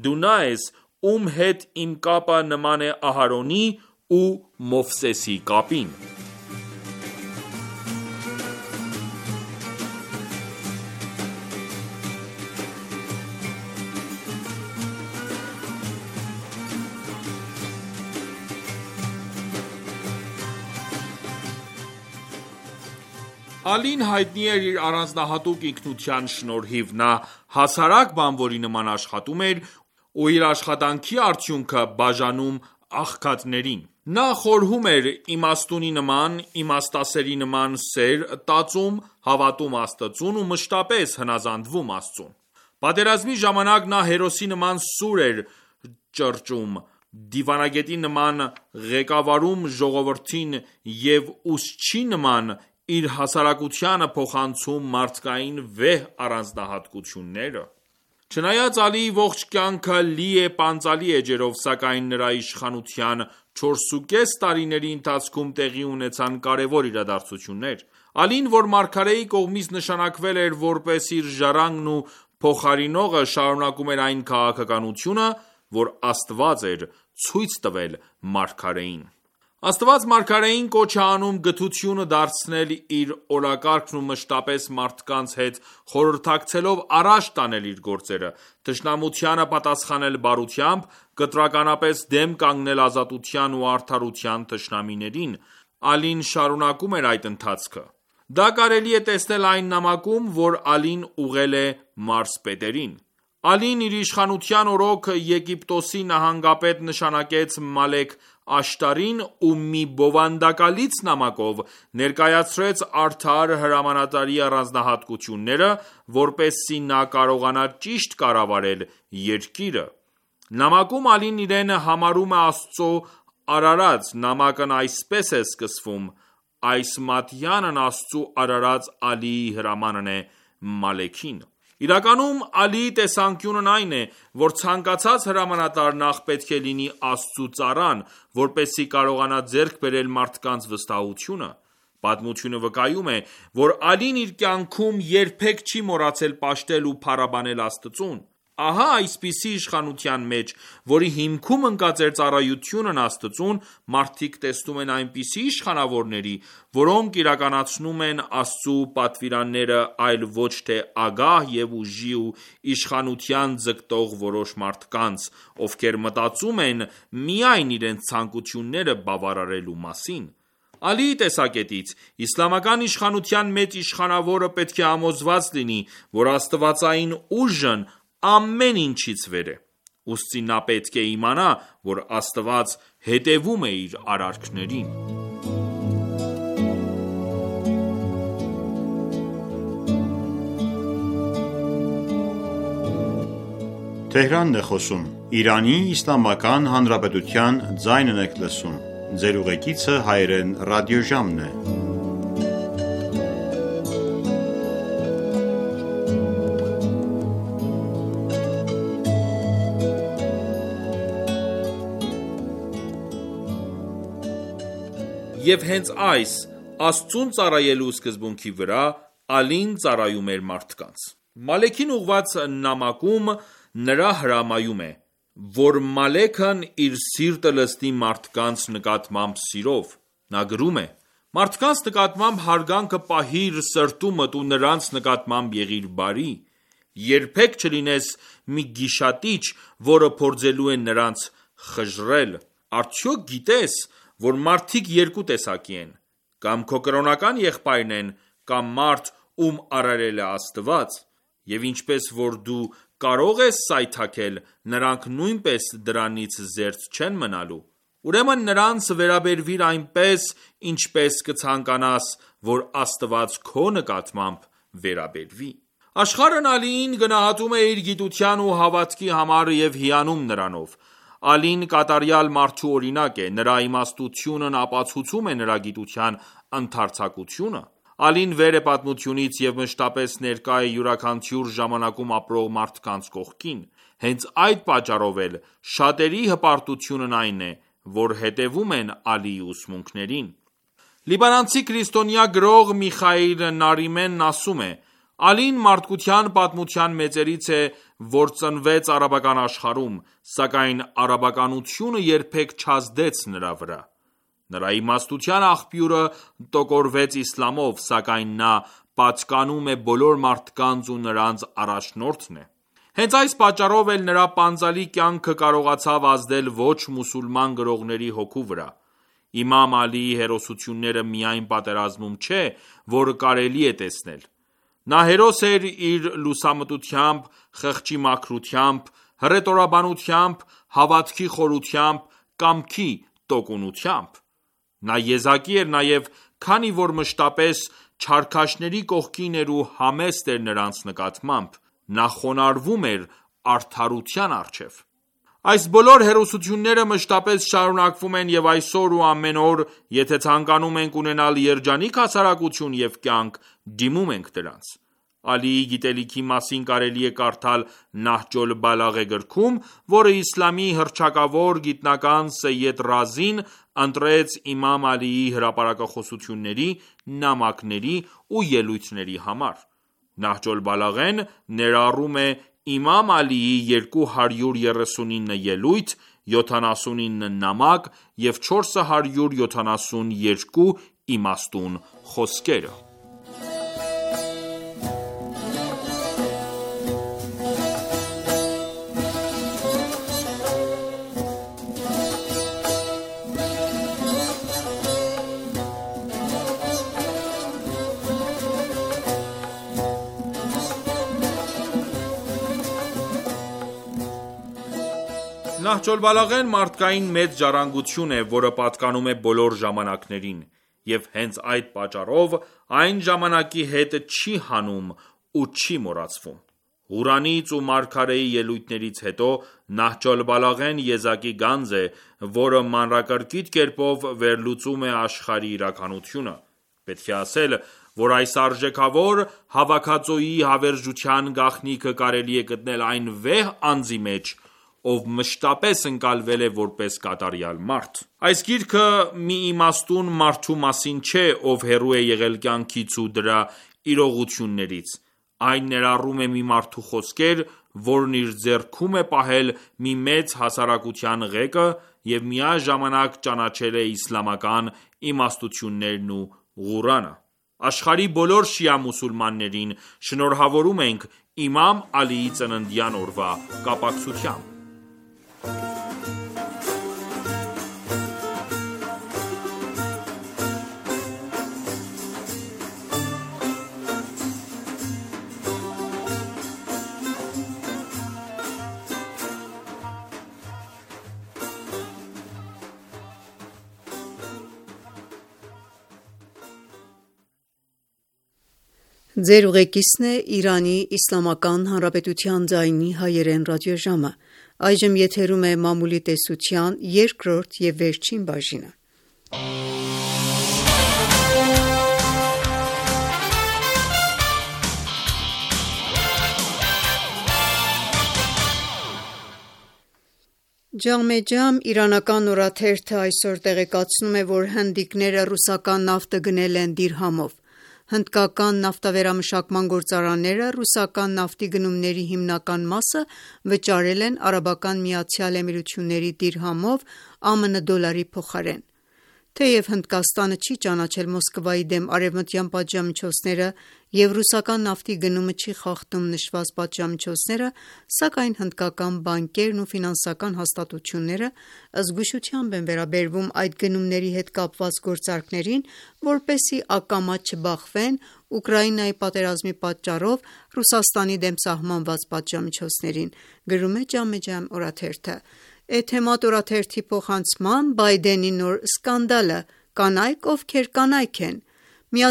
Դու նա ես, ում հետ իմ կապը նման է Ահարոնի ու Մովսեսի կապին»: Ալին հայտնի էր իր առանձնահատուկ ինքնության շնորհիվ: Նա հասարակ բանվորի նման աշխատում էր ու իր աշխատանքի արդյունքը բաժանում աղքատներին: Նա խորհում էր իմաստունի նման, իմաստասերի նման սեր տածում, հավատում Աստծուն ու մշտապես հնազանդվում Աստծուն: Պատերազմի ժամանակ նա հերոսի նման սուր էր ճոճում, դիվանագետի նման ղեկավարում ժողովրդին և ուսուցչի նման իր հասարակությանը փոխանցում մարդկային վեհ առանձնահատկությունները: Չնայած Ալիի ողջ կյանքը լի է պանծալի էջերով, սակայն նրա իշխանության չորսուկես տարիների ընթացքում տեղի ունեցան կարևոր իրադարձություններ: Ալին, որ մարգարեի կողմից նշանակվել էր որպես իր ժառանգն ու փոխարինողը, շարունակում էր այն քաղաքականությունը, որ Աստված էր ցույց տվել մարգարեին: Աստված մարգարեին կոչ է անում գթությունը դարձնել իր օրակարգն ու մշտապես մարդկանց հետ խորհրդակցելով առաջ տանել իր գործերը, թշնամությանը պատասխանել բարությամբ, կտրականապես դեմ կանգնել ազատության ու արդարության թշնամիներին: Ալին շարունակում էր այդ ընթացքը: Դա կարելի է տեսնել այն նամակում, որ Ալին ուղղել է մարզպետերին: Ալին իր իշխանության օրոք Եգիպտոսի նահանգապետ նշանակեց Մալեք Աշտարին ու մի բովանդակալից նամակով ներկայացրեց արդար հրամանատարի առանձնահատկությունները, որպեսզի նա կարողանա ճիշտ կառավարել երկիրը: Նամակում Ալին իրեն համարում է Աստծու արարած: Նամակն այսպես է սկսվում. «Այս մատյանն Աստծու արարած Ալիի հրամանն է Մալեքին»: Իրականում Ալիի տեսանկյունն այն է, որ ցանկացած հրամանատար նախ պետք է լինի Աստծու ծառան, որպեսզի կարողանա ձեռք բերել մարդկանց վստահությունը: Պատմությունը վկայում է, որ Ալին իր կյանքում երբեք չի մոռացել պաշտել ու փառաբանել Աստծուն: Ահա այսպիսի իշխանության մեջ, որի հիմքում ընկած էր ծառայությունն Աստծուն, մարդիկ տեսնում են այնպիսի իշխանավորների, որոնք իրականացնում են Աստծու պատվիրանները, այլ ոչ թե ագահ և ուժի ու իշխանության ձգտող որոշ մարդկանց, ովքեր մտածում են միայն իրենց ցանկությունները բավարարելու մասին: Ալիի տեսակետից, իսլամական իշխանության մեծ իշխանավորը պետք է համոզված լինի, որ աստվածային ուժն ամեն ինչից վեր է: Ուստի նա պետք է իմանա, որ Աստված հետևում է իր արարքներին: Եվ հենց այս Աստծուն ծառայելու սկզբունքի վրա, Ալին ծառայում էր մարդկանց: Մալեքին ուղղված նամակում նա հրամայում է, որ Մալեքն իր սիրտը լցնի մարդկանց նկատմամբ սիրով: Նա գրում է. «Մարդկանց նկատմամբ հարգանքը պահիր սրտումդ ու նրանց նկատմամբ եղիր բարի: Երբեք չլինես մի գիշատիչ, որը փորձելու է նրանց խժռել: Արդյոք գիտես, որ մարդիկ երկու տեսակի են: Կամ քո կրոնական եղբայրն են, կամ մարդ, ում արարել է Աստված, և ինչպես որ դու կարող ես սայթաքել, նրանք նույնպես դրանից զերծ չեն մնալու: Ուրեմն նրանց վերաբերվիր այնպես, ինչպես կցանկանաս, որ Աստված քո նկատմամբ վերաբերվի: Աշխարհն Ալիին գնահատում է իր գիտության ու հավատքի համար և հիանում նրանով: Ալին կատարյալ մարդու օրինակ է: Նրա իմաստությունն ապացուցում է նրա գիտության ընդարձակությունը: Ալին վեր է պատմությունից և մշտապես ներկա է յուրաքանչյուր ժամանակում ապրող մարդկանց կողքին: Հենց այդ պատճառով էլ շատերի հպարտությունն այն է, որ հետևում են Ալիի ուսմունքներին: Լիբանանցի քրիստոնյա գրող Միխայիլ Նարիմեն ասում է. «Ալին մարդկության պատմության մեծերից է, որ ծնվեց արաբական աշխարհում, սակայն արաբականությունը երբեք չազդեց նրա վրա: Նրա իմաստության աղբյուրը տոգորվեց իսլամով, սակայն նա պատկանում է բոլոր մարդկանց ու նրանց առաջնորդն է: Հենց այս պատճառով էլ նրա պանծալի կյանքը կարողացավ ազդել ոչ մուսուլման գրողների հոգու վրա: Իմամ Ալիի հերոսությունները միայն պատերազմում չէ, որ կարելի է տեսնել: Նա հերոս էր իր լուսամտությամբ, խղճի մաքրությամբ, հռետորաբանությամբ, հավատքի խորությամբ, կամքի տոկունությամբ: Նա եզակի էր նաև, քանի որ մշտապես չարքաշների կողքին էր ու համեստ էր նրանց նկատմամբ: Նա խոնարհվում էր արդարության առջև: Այս բոլոր հերոսությունները մշտապես շարունակվում են և այսօր ու ամեն օր, եթե ցանկանում ենք ունենալ երջանիկ հասարակություն և կյանք, դիմում ենք դրանց: Ալիի գիտելիքի մասին կարելի է կարդալ Նահջ օլ-Բալաղե գրքում, որը իսլամի հռչակավոր գիտնական Սեյեդ Ռազին ընտրեց իմամ Ալիի հրապարակախոսությունների, նամակների ու ելույթների համար: Նահջ օլ-Բալաղեն ներառում է իմամ Ալիի երկու հարյուր երեսունինը ելույթ, յոթանասունինը նամակ և չորս հարյուր յոթանասունյոթ իմաստուն խոսքերը: Նահջ օլ-Բալաղեն մարդկային մեծ ժառանգություն է, որը պատկանում է բոլոր ժամանակներին: Եվ հենց այդ պատճառով, այն ժամանակի հետ չի հանում ու չի մոռացվում: Ղուրանից ու մարգարեի ելույթներից հետո, Նահջ օլ-Բալաղեն եզակի գանձ է, որը մանրակրկիտ կերպով վերլուծում է աշխարհի իրականությունը: Պետք է ասել, որ այս արժեքավոր հավաքածուի հավերժության գաղտնիքը կարելի է գտնել այն վեհ անձի մեջ, ով մշտապես ընկալվել է որպես կատարյալ մարդ: Այս գիրքը մի իմաստուն մարդու մասին չէ, ով հեռու է եղել կյանքից ու դրա իրողություններից: Այն ներառում է մի մարդու խոսքեր, որն իր ձեռքում է պահել մի մեծ հասարակության ղեկը և միաժամանակ ճանաչել է իսլամական իմաստություններն ու Ղուրանը: Աշխարհի բոլոր շիա մուսուլմաններին շնորհավորում ենք իմամ Ալիի ծննդյան օրվա կապակցությամբ:
«Ջամե Ջամ» իրանական օրաթերթը այսօր տեղեկացնում է, որ հնդիկները ռուսական նավթը գնել են դիրհամով: Հնդկական նավթավերամշակման գործարանները ռուսական նավթի գնումների հիմնական մասը վճարել են Արաբական Միացյալ Էմիրությունների դիրհամով՝ ԱՄՆ դոլարի փոխարեն: Թեև Հնդկաստանը չի ճանաչել Մոսկվայի դեմ արևմտյան պատժամիջոցները և ռուսական նավթի գնումը չի խախտում նշված պատժամիջոցները, սակայն հնդկական բանկերն ու ֆինանսական հաստատությունները զգուշությամբ են վերաբերվում այդ գնումների հետ կապված գործարքներին, որպեսզի ակամա չբախվեն Ուկրաինայի պատերազմի պատճառով Ռուսաստանի դեմ սահմանված պատժամիջոցներին, գրում է Ջամեջամ օրաթերթը: Էթեմադ օրաթերթի փոխանցմամբ Բայդենի նոր սկանդալը՝ կանայք, ովքեր կանայք են: ԱՄՆ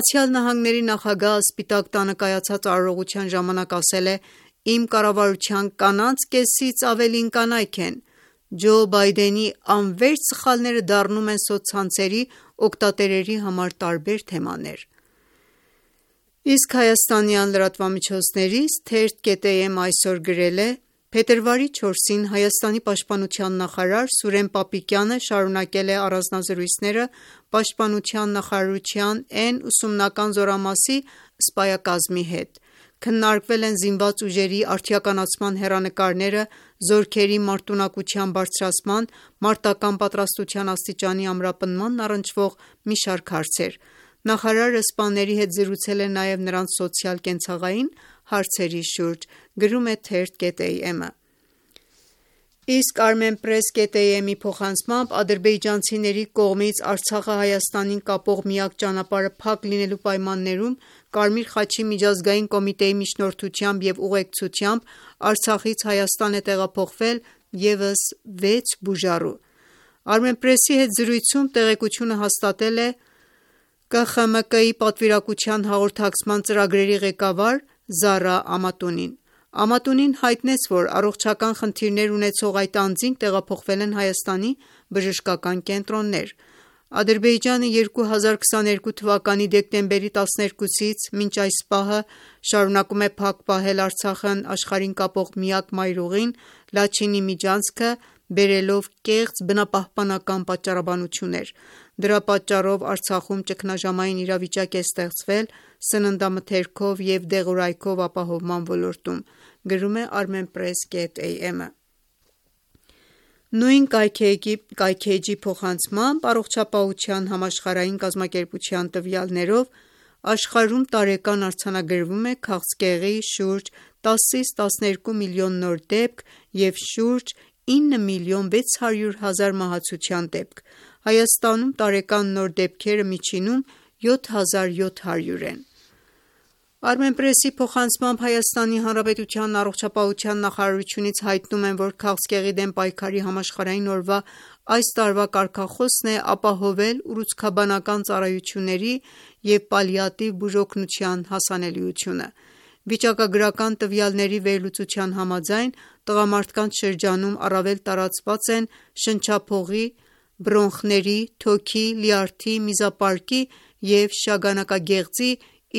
նախագահը Սպիտակ տանը կայացած արարողության ժամանակ ասել է. «Իմ կառավարության կանանց կեսից ավելին կանայք են»: Ջո Բայդենի անվերջ սխալները դառնում են սոցցանցերի օգտատերերի համար տարբեր թեմաներ: Իսկ հայաստանյան լրատվամիջոցներից Թերթ.am այսօր գրել է. «Փետրվարի չորսին Հայաստանի պաշտպանության նախարար Սուրեն Պապիկյանը շարունակել է առանձնազրույցները պաշտպանության նախարարության N ուսումնական զորամասի սպայակազմի հետ: Քննարկվել են զինված ուժերի արդիականացման հեռանկարները, զորքերի մարտունակության բարձրացման, մարտական պատրաստության աստիճանի ամրապնդմանն առնչվող մի շարք հարցեր: Նախարարը սպաների հետ զրուցել է նաև նրանց սոցիալ-կենցաղային հարցերի շուրջ»: Գրում է Թերթ.am-ը: Իսկ Armenpress.am-ի փոխանցմամբ ադրբեջանցիների կողմից Արցախը Հայաստանին կապող միակ ճանապարհը փակ լինելու պայմաններում Կարմիր խաչի միջազգային կոմիտեի միջնորդությամբ և ուղեկցությամբ Արցախից Հայաստան է տեղափոխվել ևս վեց բուժառու: Armenpress-ի հետ զրույցում տեղեկությունը հաստատել է Կ Խ M K-ի պատվիրակության հաղորդակցման ծրագրերի ղեկավար Զառա Ամատունին: Ամատունին հայտնեց, որ առողջական խնդիրներ ունեցող այդ անձինք տեղափոխվել են Հայաստանի բժշկական կենտրոններ: Ադրբեջանը երկու հազար քսաներկու թվականի դեկտեմբերի տասներկուսից մինչ այս պահը շարունակում է փակ պահել Արցախն աշխարհին կապող միակ մայրուղին՝ Լաչինի միջանցքը, բերելով կեղծ բնապահպանական պատճառաբանություններ: Դրա պատճառով Արցախում ճգնաժամային իրավիճակ է ստեղծվել սննդամթերքով և դեղորայքով ապահովման ոլորտում: Գրում է Armenpress.am-ը: Նույն կայքէջի փոխանցմամբ Առողջապահության համաշխարհային կազմակերպության տվյալներով աշխարհում տարեկան արձանագրվում է քաղցկեղի շուրջ տասից տասներկու միլիոն նոր դեպք և շուրջ ինը միլիոն վեց հարյուր հազար մահացության դեպք: Հայաստանում տարեկան նոր դեպքերը միջինում յոթ հազար յոթ հարյուր են: Armenpress-ի փոխանցմամբ Հայաստանի Հանրապետության առողջապահության նախարարությունից հայտնում են, որ քաղցկեղի դեմ պայքարի համաշխարհային օրվա այս տարվա կարգախոսն է ապահովել ուռուցքաբանական ծառայությունների և պալիատիվ բուժօգնության հասանելիությունը: Վիճակագրական տվյալների վերլուծության համաձայն տղամարդկանց շրջանում առավել տարածված են շնչափողի, բրոնխների, թոքի, լյարդի, միզապարկի և շագանակագեղձի,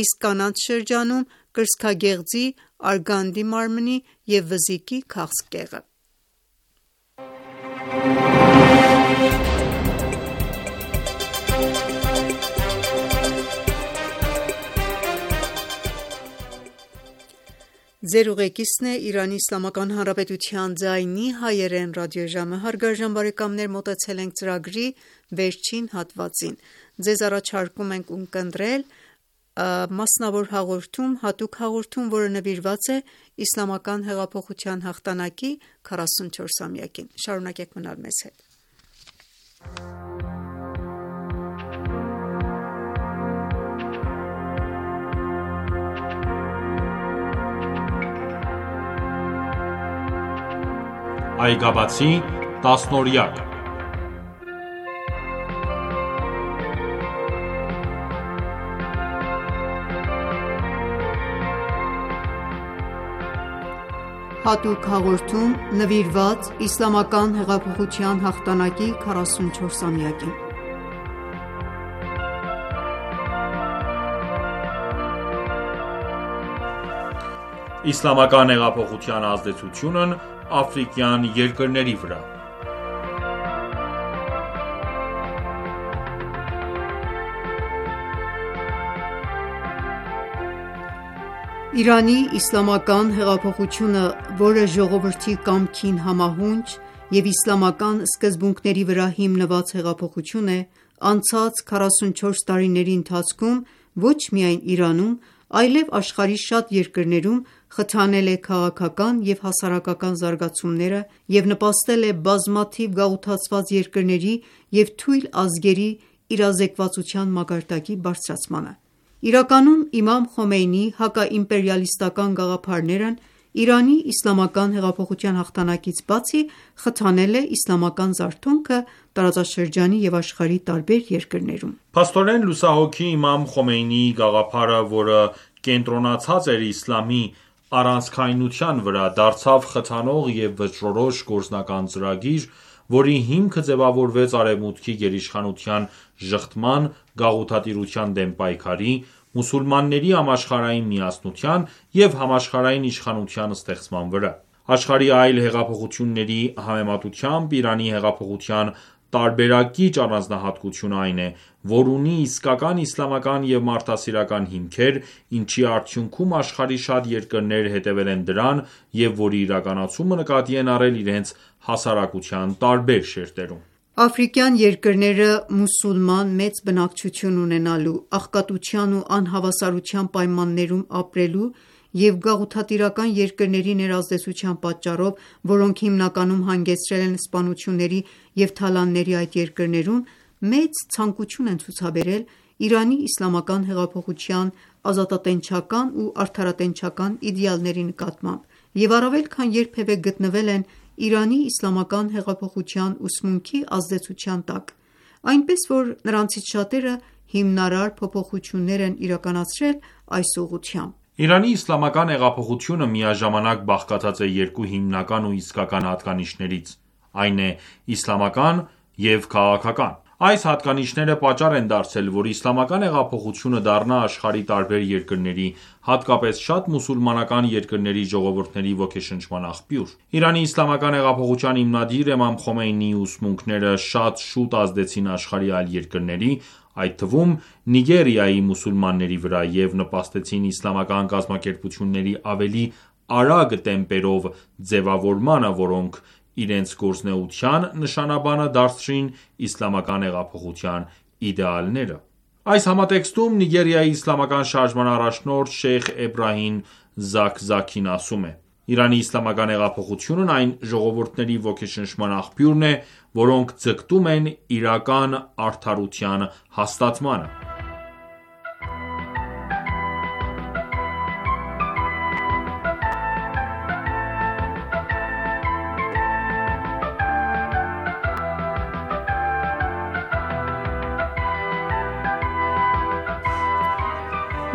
իսկ կանանց շրջանում կրծքագեղձի, արգանդի մարմնի և վզիկի քաղցկեղը: Ձեզ առաջարկում ենք ունկնդրել մասնավոր հաղորդում, հատուկ հաղորդում, որը նվիրված է Իսլամական հեղափոխության հաղթանակի քառասունչորսամյակին: Շարունակեք մնալ մեզ հետ:
Այգաբացի տասնօրյակ
Հատուկ հաղորդում նվիրված Իսլամական հեղափոխության հաղթանակի քառասունչորսամյակին:
Իսլամական հեղափոխության ազդեցությունն աֆրիկյան երկրների վրա:
Իրանի իսլամական հեղափոխությունը, որը ժողովրդի կամքին համահունչ և իսլամական սկզբունքների վրա հիմնված հեղափոխություն է, անցած քառասունչորս տարիների ընթացքում ոչ միայն Իրանում, այլև աշխարհի շատ երկրներում խթանել է քաղաքական և հասարակական զարգացումները և նպաստել է բազմաթիվ գաղութացված երկրների և թույլ ազգերի իրազեկվածության մակարդակի բարձրացմանը: Իրականում, իմամ Խոմեյնիի հակաիմպերիալիստական գաղափարներն Իրանի իսլամական հեղափոխության հաղթանակից բացի, խթանել է իսլամական զարթոնքը տարածաշրջանի և աշխարհի տարբեր երկրներում:
Փաստորեն, լուսահոգի իմամ Խոմեյնիի գաղափարը, որը կենտրոնացած էր իսլամի առանցքայնության վրա, դարձավ խթանող և վճռորոշ գործնական ծրագիր, որի հիմքը ձևավորվեց Արևմուտքի գերիշխանության ժխտման, գաղութատիրության դեմ պայքարի, մուսուլմանների համաշխարհային միասնության և համաշխարհային իշխանության ստեղծման վրա: Աշխարհի այլ հեղափոխությունների համեմատությամբ Իրանի հեղափոխության տարբերակիչ առանձնահատկությունը այն է, որ ունի իսկական իսլամական և մարդասիրական հիմքեր, ինչի արդյունքում աշխարհի շատ երկրներ հետևել են դրան և որի իրականացումը նկատի են առել իրենց հասարակության տարբեր շերտերում:
Աֆրիկյան երկրները մուսուլման մեծ բնակչություն ունենալու, աղքատության ու անհավասարության պայմաններում ապրելու և գաղութատիրական երկրների ներազդեցության պատճառով, որոնք հիմնականում հանգեցրել են սպանությունների և թալանների այդ երկրներում, մեծ ցանկություն են ցուցաբերել Իրանի իսլամական հեղափոխության ազատատենչական ու արդարատենչական իդեալների նկատմամբ և առավել քան երբևէ գտնվել են Իրանի իսլամական հեղափոխության ուսմունքի ազդեցության տակ, այնպես որ նրանցից շատերը հիմնարար փոփոխություններ են իրականացրել այս ուղղությամբ:
Իրանի իսլամական հեղափոխությունը միաժամանակ բաղկացած է երկու հիմնական ու իսկական հատկանիշներից, այն է իսլամական և քաղաքական: Այս հատկանիշները պատճառ են դարձել, որ իսլամական հեղափոխությունը դառնա աշխարհի տարբեր երկրների, հատկապես շատ մուսուլմանական երկրների ժողովուրդների ոգեշնչման աղբյուր: Իրանի իսլամական հեղափոխության հիմնադիր իմամ Խոմեյնիի ուսմունքները շատ շուտ ազդեցին աշխարհի այլ երկրների, այդ թվում Նիգերիայի մուսուլմանների վրա և նպաստեցին իսլամական կազմակերպությունների ավելի արագ տեմպերով ձևավորմանը, որոնք իրենց գործունեության նշանաբանը դարձրին իսլամական հեղափոխության իդեալները: Այս համատեքստում Նիգերիայի իսլամական շարժման առաջնորդ Շեյխ Էբրահիմ Զաքզաքին ասում է. «Իրանի իսլամական հեղափոխությունն այն ժողովուրդների ոգեշնչման աղբյուրն է, որոնք ձգտում են իրական արդարության հաստատմանը»: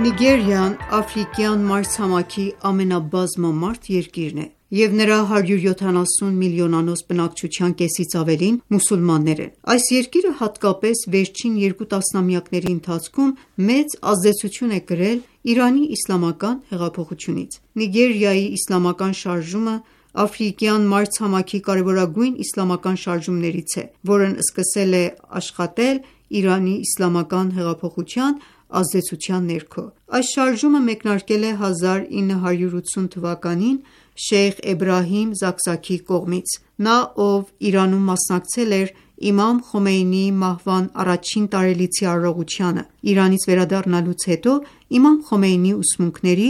Նիգերիան աֆրիկյան մայրցամաքի ամենաբազմամարդ երկիրն է, և նրա հարյուր յոթանասուն միլիոնանոց բնակչության կեսից ավելին մուսուլմաններ են: Այս երկիրը հատկապես վերջին երկու տասնամյակների ընթացքում մեծ ազդեցություն է կրել Իրանի իսլամական հեղափոխությունից: Նիգերիայի իսլամական շարժումը աֆրիկյան մայրցամաքի կարևորագույն իսլամական շարժումներից է, որն սկսել է աշխատել Իրանի իսլամական հեղափոխության ազդեցության ներքո: Այս շարժումը մեկնարկել է հազար ինը հարյուր ութսուն թվականին Շեյխ Էբրահիմ Զաքզաքիի կողմից: Նա, ով Իրանում մասնակցել էր իմամ Խոմեյնիի մահվան առաջին տարելիցի արարողությանը, Իրանից վերադառնալուց հետո իմամ Խոմեյնիի ուսմունքների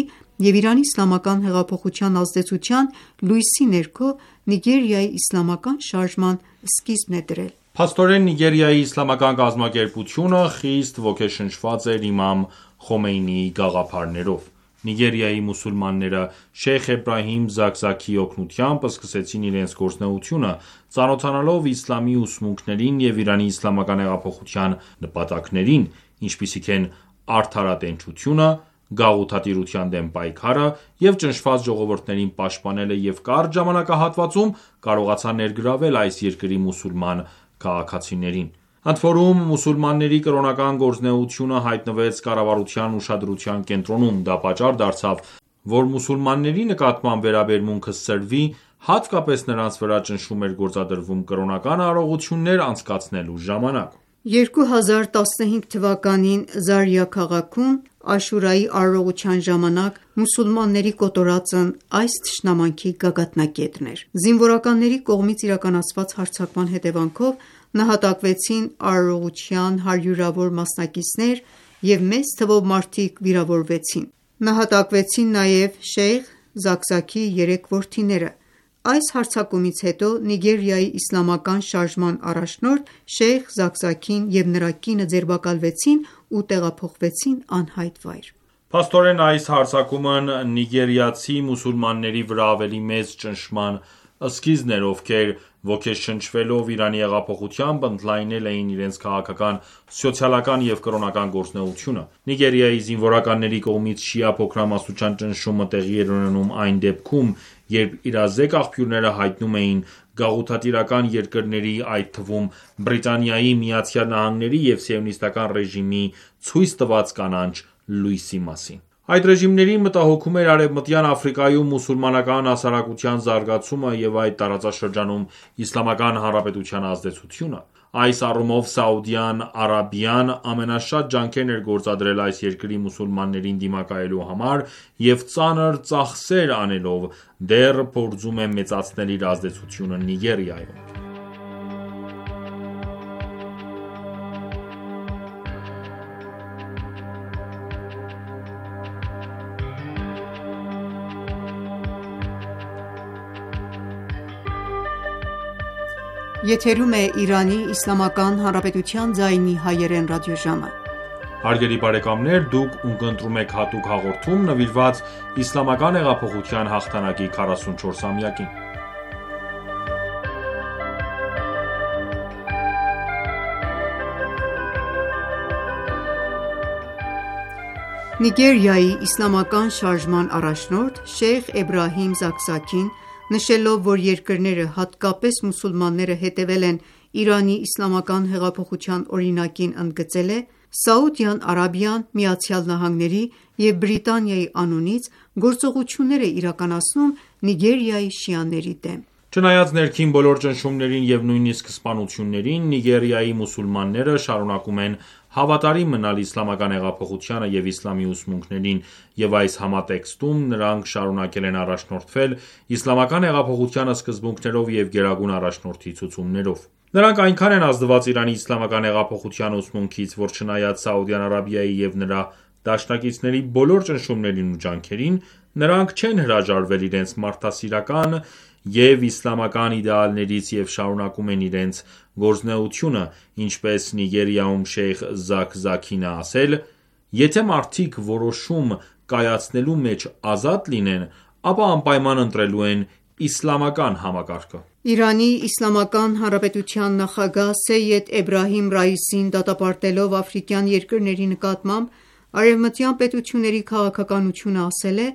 և Իրանի իսլամական հեղափոխության ազդեցության լույսի ներքո Նիգերիայի իսլամական շարժման սկիզբն է դրել:
Փաստորեն, Նիգերիայի իսլամական կազմակերպությունը խիստ ոգեշնչված էր իմամ Խոմեյնիի գաղափարներով: Նիգերիայի մուսուլմանները Շեյխ Էբրահիմ Զաքզաքիի օգնությամբ սկսեցին իրենց գործունեությունը ծանոթանալով իսլամի ուսմունքներին և Իրանի իսլամական հեղափոխության նպատակներին, ինչպիսիք են արդարատենչությունը, գաղութատիրության դեմ պայքարը և ճնշված ժողովուրդներին պաշտպանելը և կարճ ժամանակահատվածում կարողացան ներգրավել այս երկրի մուսուլման քաղաքացիներին: Ընդորում մուսուլմանների կրոնական գործունեությունը հայտնվեց կառավարության ուշադրության կենտրոնում: Դա պատճառ դարձավ, որ մուսուլմանների նկատմամբ վերաբերմունքը սրվի, հատկապես նրանց վրա ճնշում էր գործադրվում կրոնական արարողություններ անցկացնելու ժամանակ:
երկու հազար տասնհինգ թվականին Զարիա քաղաքում Աշուրայի արարողության ժամանակ մուսուլմանների կոտորածն այս թշնամանքի գագաթնակետն էր: Զինվորականների կողմից իրականացված հարձակման հետևանքով նահատակվեցին արարողության հարյուրավոր մասնակիցներ և մեծ թվով մարդիկ վիրավորվեցին: Նահատակվեցին նաև Շեյխ Զաքզաքիի երեք որդիները։ Այս հարձակումից հետո Նիգերիայի իսլամական շարժման առաջնորդ Շեյխ Զաքզաքին և նրա կինը ձերբակալվեցին ու տեղափոխվեցին անհայտ վայր։
Փաստորեն, այս հարձակումն նիգերիացի մուսուլմանների վրա ավելի մեծ ճնշման սկիզբն էր, ովքեր ոգեշնչվելով Իրանի հեղափոխությամբ, ընդլայնել էին իրենց քաղաքական, սոցիալական և կրոնական գործունեությունը։ Նիգերիայի զինվորականների կողմից շիա փոքրամասնության ճնշումը տեղի էր ունենում այն դեպքում, երբ իրազեկ աղբյուրները հայտնում էին գաղութատիրական երկրների, այդ թվում Բրիտանիայի, Միացյալ Նահանգների և Սիոնիստական ռեժիմի ցույց տված կանաչ լույսի մասին։ Այդ ռեժիմներին մտահոգում էր Արևմտյան Աֆրիկայում մուսուլմանական հասարակության զարգացումը և այդ տարածաշրջանում Իսլամական Հանրապետության ազդեցությունը։ Այս առումով Սաուդյան Արաբիան ամենաշատ ջանքերն էր գործադրել այս երկրի մուսուլմաններին դիմակայելու համար և ծանր ծախսեր անելով դեռ փորձում է մեծացնել իր ազդեցությունը Նիգերիայում։
Եթերում է Իրանի Իսլամական Հանրապետության ձայնի հայերեն ռադիոժամը։
Հարգելի բարեկամներ, դուք ունկնդրում եք հատուկ հաղորդում նվիրված Իսլամական հեղափոխության հաղթանակի քառասունչորսամյակին։
Նիգերիայի իսլամական շարժման առաջնորդ Շեյխ Էբրահիմ Զաքզաքին, նշելով, որ երկրները, հատկապես մուսուլմանները հետևել են Իրանի իսլամական հեղափոխության օրինակին, ընդգծել է. «Սաուդյան Արաբիան ԱՄՆ-ի և Բրիտանիայի անունից գործողություններ է իրականացնում Նիգերիայի շիաների դեմ»։
Չնայած ներքին բոլոր ճնշումներին և նույնիսկ սպանություններին, Նիգերիայի մուսուլմանները շարունակում են հավատարիմ մնալ իսլամական հեղափոխությանը և իսլամի ուսմունքներին, և այս համատեքստում նրանք շարունակել են առաջնորդվել իսլամական հեղափոխության սկզբունքներով և Գերագույն առաջնորդի ցուցումներով։ Նրանք այնքան են ազդված Իրանի իսլամական հեղափոխության ուսմունքից, որ չնայած Սաուդյան Արաբիայի և նրա դաշնակիցների բոլոր ճնշումներին ու ջանքերին, նրանք չեն հրաժարվել իրենց մարդասիրական և իսլամական իդեալներից և շարունակում են իրենց գործունեությունը, ինչպես Նիգերիայում Շեյխ Զաքզաքին է ասել. «Եթե մարդիկ որոշում կայացնելու մեջ ազատ լինեն, ապա անպայման ընտրելու են իսլամական համակարգը»։
Իրանի Իսլամական Հանրապետության նախագահ Սեյեդ Էբրահիմ Ռայիսին դատապարտելով աֆրիկյան երկրների նկատմամբ արևմտյան պետությունների քաղաքականությունը, ասել է.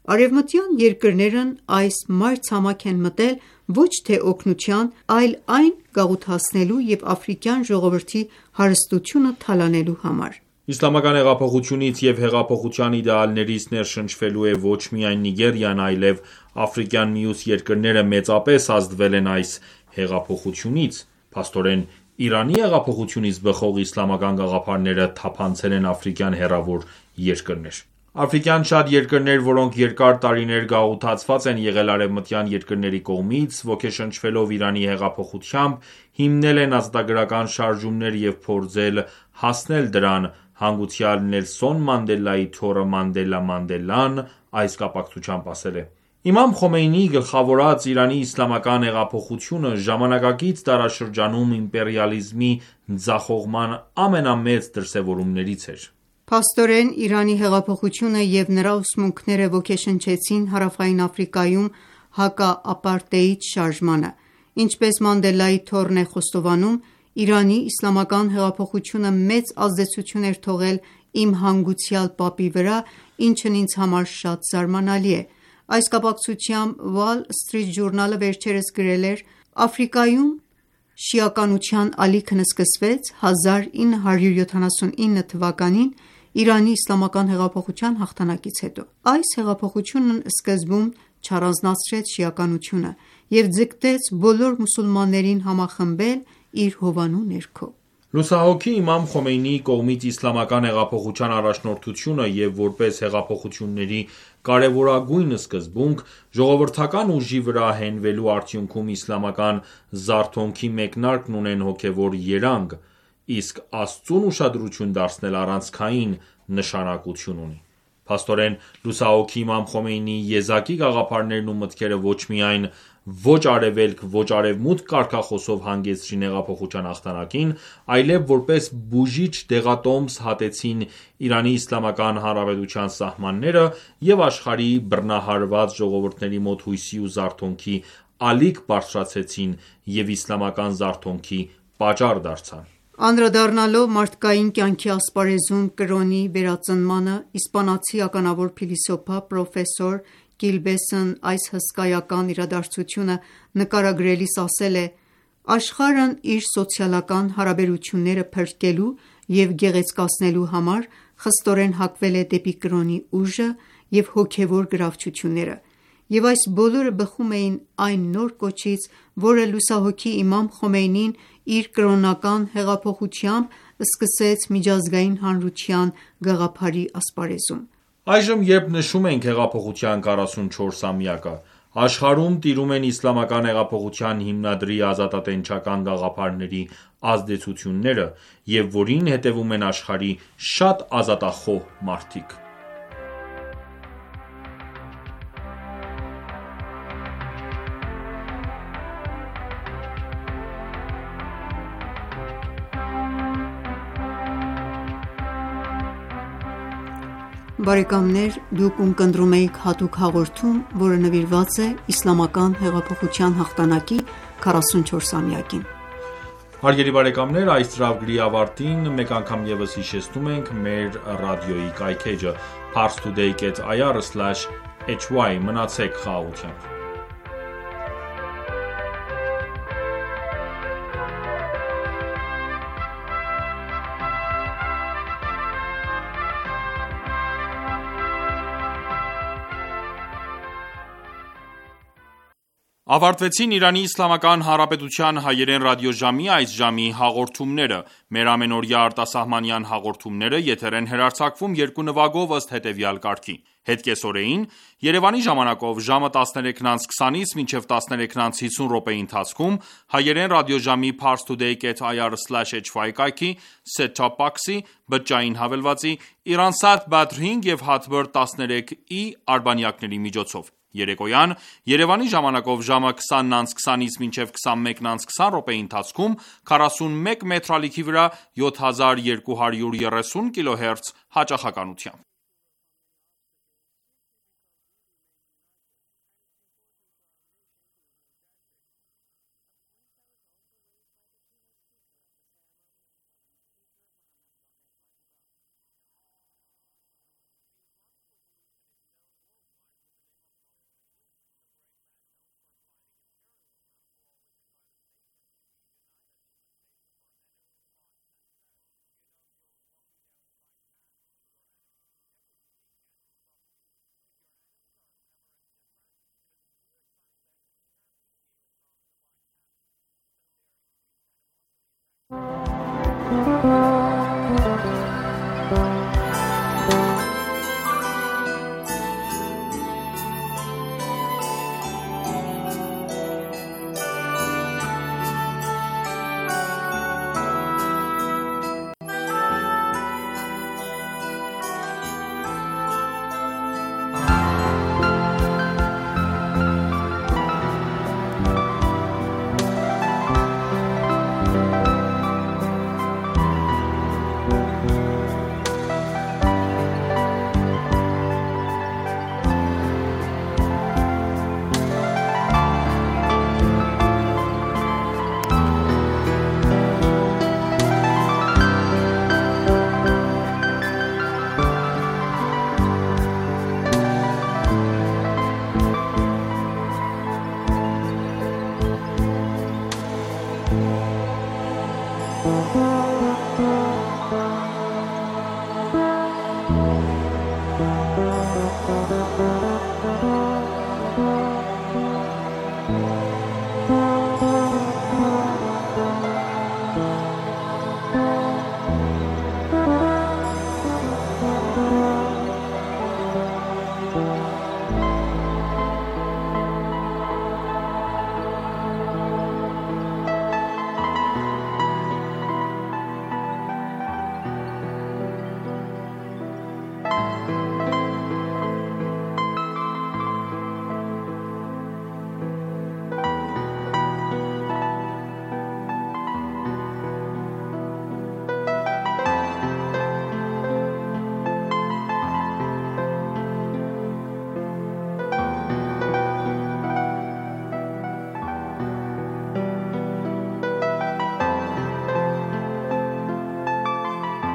«Արևմտյան երկրներն այս մայրցամաք են մտել ոչ թե օգնության, այլ այն գաղութացնելու և աֆրիկյան ժողովրդի հարստությունը թալանելու համար»։
Իսլամական հեղափոխությունից և հեղափոխության իդեալներից ներշնչվելու է ոչ միայն Նիգերիան, այլև աֆրիկյան մյուս երկրները մեծապես ազդվել են այս հեղափոխությունից։ Փաստորեն, Իրանի հեղափոխությունից բխող իսլամական գաղափարները թափանցել են աֆրիկյան հեռավոր երկրներ։ Աֆրիկյան շատ երկրներ, որոնք երկար տարիներ գաղութացված են եղել արևմտյան երկրների կողմից, ոգեշնչվելով Իրանի հեղափոխությամբ, հիմնել են ազատագրական շարժումներ և փորձել հասնել դրան, հանգուցյալ Նելսոն Մանդելայի թոռը Մանդելա Մանդելան այս կապակցությամբ ասել է. «Իմամ Խոմեյնիի գլխավորած Իրանի իսլամական հեղափոխությունը ժամանակակից դարաշրջանում իմպերիալիզմի ձախողման ամենամեծ դրսևորումներից էր»։
Փաստորեն, Իրանի հեղափոխությունը և նրա ուսմունքները ոգեշնչեցին Հարավային Աֆրիկայում հակաապարտեիդ շարժմանը։ Ինչպես Մանդելայի թոռն է խոստովանում. «Իրանի իսլամական հեղափոխությունը մեծ ազդեցություն էր թողել իմ հանգուցյալ պապի վրա, ինչն ինձ համար շատ զարմանալի է»։ Այս կապակցությամբ Wall Street Journal-ը վերջերս գրել էր. «Աֆրիկայում շիականության ալիքն սկսվեց հազար ինը հարյուր յոթանասունինը թվականին Իրանի իսլամական հեղափոխության հաղթանակից հետո։ Այս հեղափոխությունն սկզբում չառանձնացրեց շիականությունը և ձգտեց բոլոր մուսուլմաններին համախմբել իր հովանու ներքո»։
Լուսահոգի Իմամ Խոմեյնիի կողմից իսլամական հեղափոխության առաջնորդությունը և որպես հեղափոխությունների կարևորագույն սկզբունք, ժողովրդական ուժի վրա հենվելու արդյունքում իսլամական զարթոնքի մեկնարկն ունեն հոգևոր երանգ, իսկ Աստծուն ուշադրություն դարձնել առանցքային նշանակություն ունի։ Փաստորեն, լուսահոգի Իմամ Խոմեյնիի եզակի գաղափարներն ու մտքերը ոչ միայն ոչ արևելք, ոչ արևմուտք կարգախոսով հանգեցրին հեղափոխության հաղթանակին, այլև որպես բուժիչ դեղատոմս հատեցին ԻԻՀ սահմանները և աշխարհի բռնահարված ժողովուրդների մոտ հույսի ու զարթոնքի ալիք բարձրացրեցին և իսլամական զարթոնքի պատճառ դարձան:
Անդրադառնալով մարդկային կյանքի ասպարեզում կրոնի վերածնմանը, իսպանացի ականավոր փիլիսոփա պրոֆեսոր Կիլբեսն այս հսկայական իրադարձությունը նկարագրելիս ասել է. «Աշխարհն իր սոցիալական հարաբերությունները փրկելու և գեղեցկացնելու համար խստորեն հակվել է դեպի կրոնի ուժը և հոգևոր գրավչությունները, և այս բոլորը բխում էին այն նոր կոչից, որը լուսահոգի Իմամ Խոմեյնին իր կրոնական հեղափոխությամբ սկսեց միջազգային հանրության գաղափարի ասպարեզում»:
Այժմ, երբ նշում ենք հեղափոխության քառասունչորսամյակը, աշխարհում տիրում են իսլամական հեղափոխության հիմնադրի ազատատենչական գաղափարների ազդեցությունները և որին հետևում են աշխարհի շատ ազատախոհ մարդիկ:
Բարեկամներ դուք ունկնդրում էիք հատուկ հաղորդում, որը նվիրված է իսլամական հեղափոխության հաղթանակի քառասունչորսամյակին:
Հարգելի բարեկամներ այս ծրագրի ավարտին մեկ անգամ ևս հիշեցնում ենք մեր ռադիոյի կայքէջը՝ parstoday կետ ir slash hy: Մնացեք խաղաղությամբ: Ավարտվեցին ԻԻՀ հայերեն ռադիոժամի այս ժամի հաղորդումները: Մեր ամենօրյա արտասահմանյան հաղորդումները եթեր են հեռարձակվում երկու նվագով ըստ հետևյալ կարգի: Հետ կեսօրեին Երևանի ժամանակով ժամը տասներեքն անց քսանից մինչև տասներեքն անց հիսուն րոպեի ընթացքում հայերեն ռադիոժամի parstoday կետ ir slash hy կայքի, set-top box-ի, բջջային հավելվածի, Iransat Badr հինգ և Hotbird տասներեք ի արբանյակների միջոցով: Երեկոյան Երևանի ժամանակով ժամը քսանն անց քսանից մինչև քսանմեկն անց քսան րոպեի ընթացքում քառասունմեկ մետրալիքի վրա յոթ հազար երկու հարյուր երեսուն կիլոհերց հաճախականությամբ:
Thank you.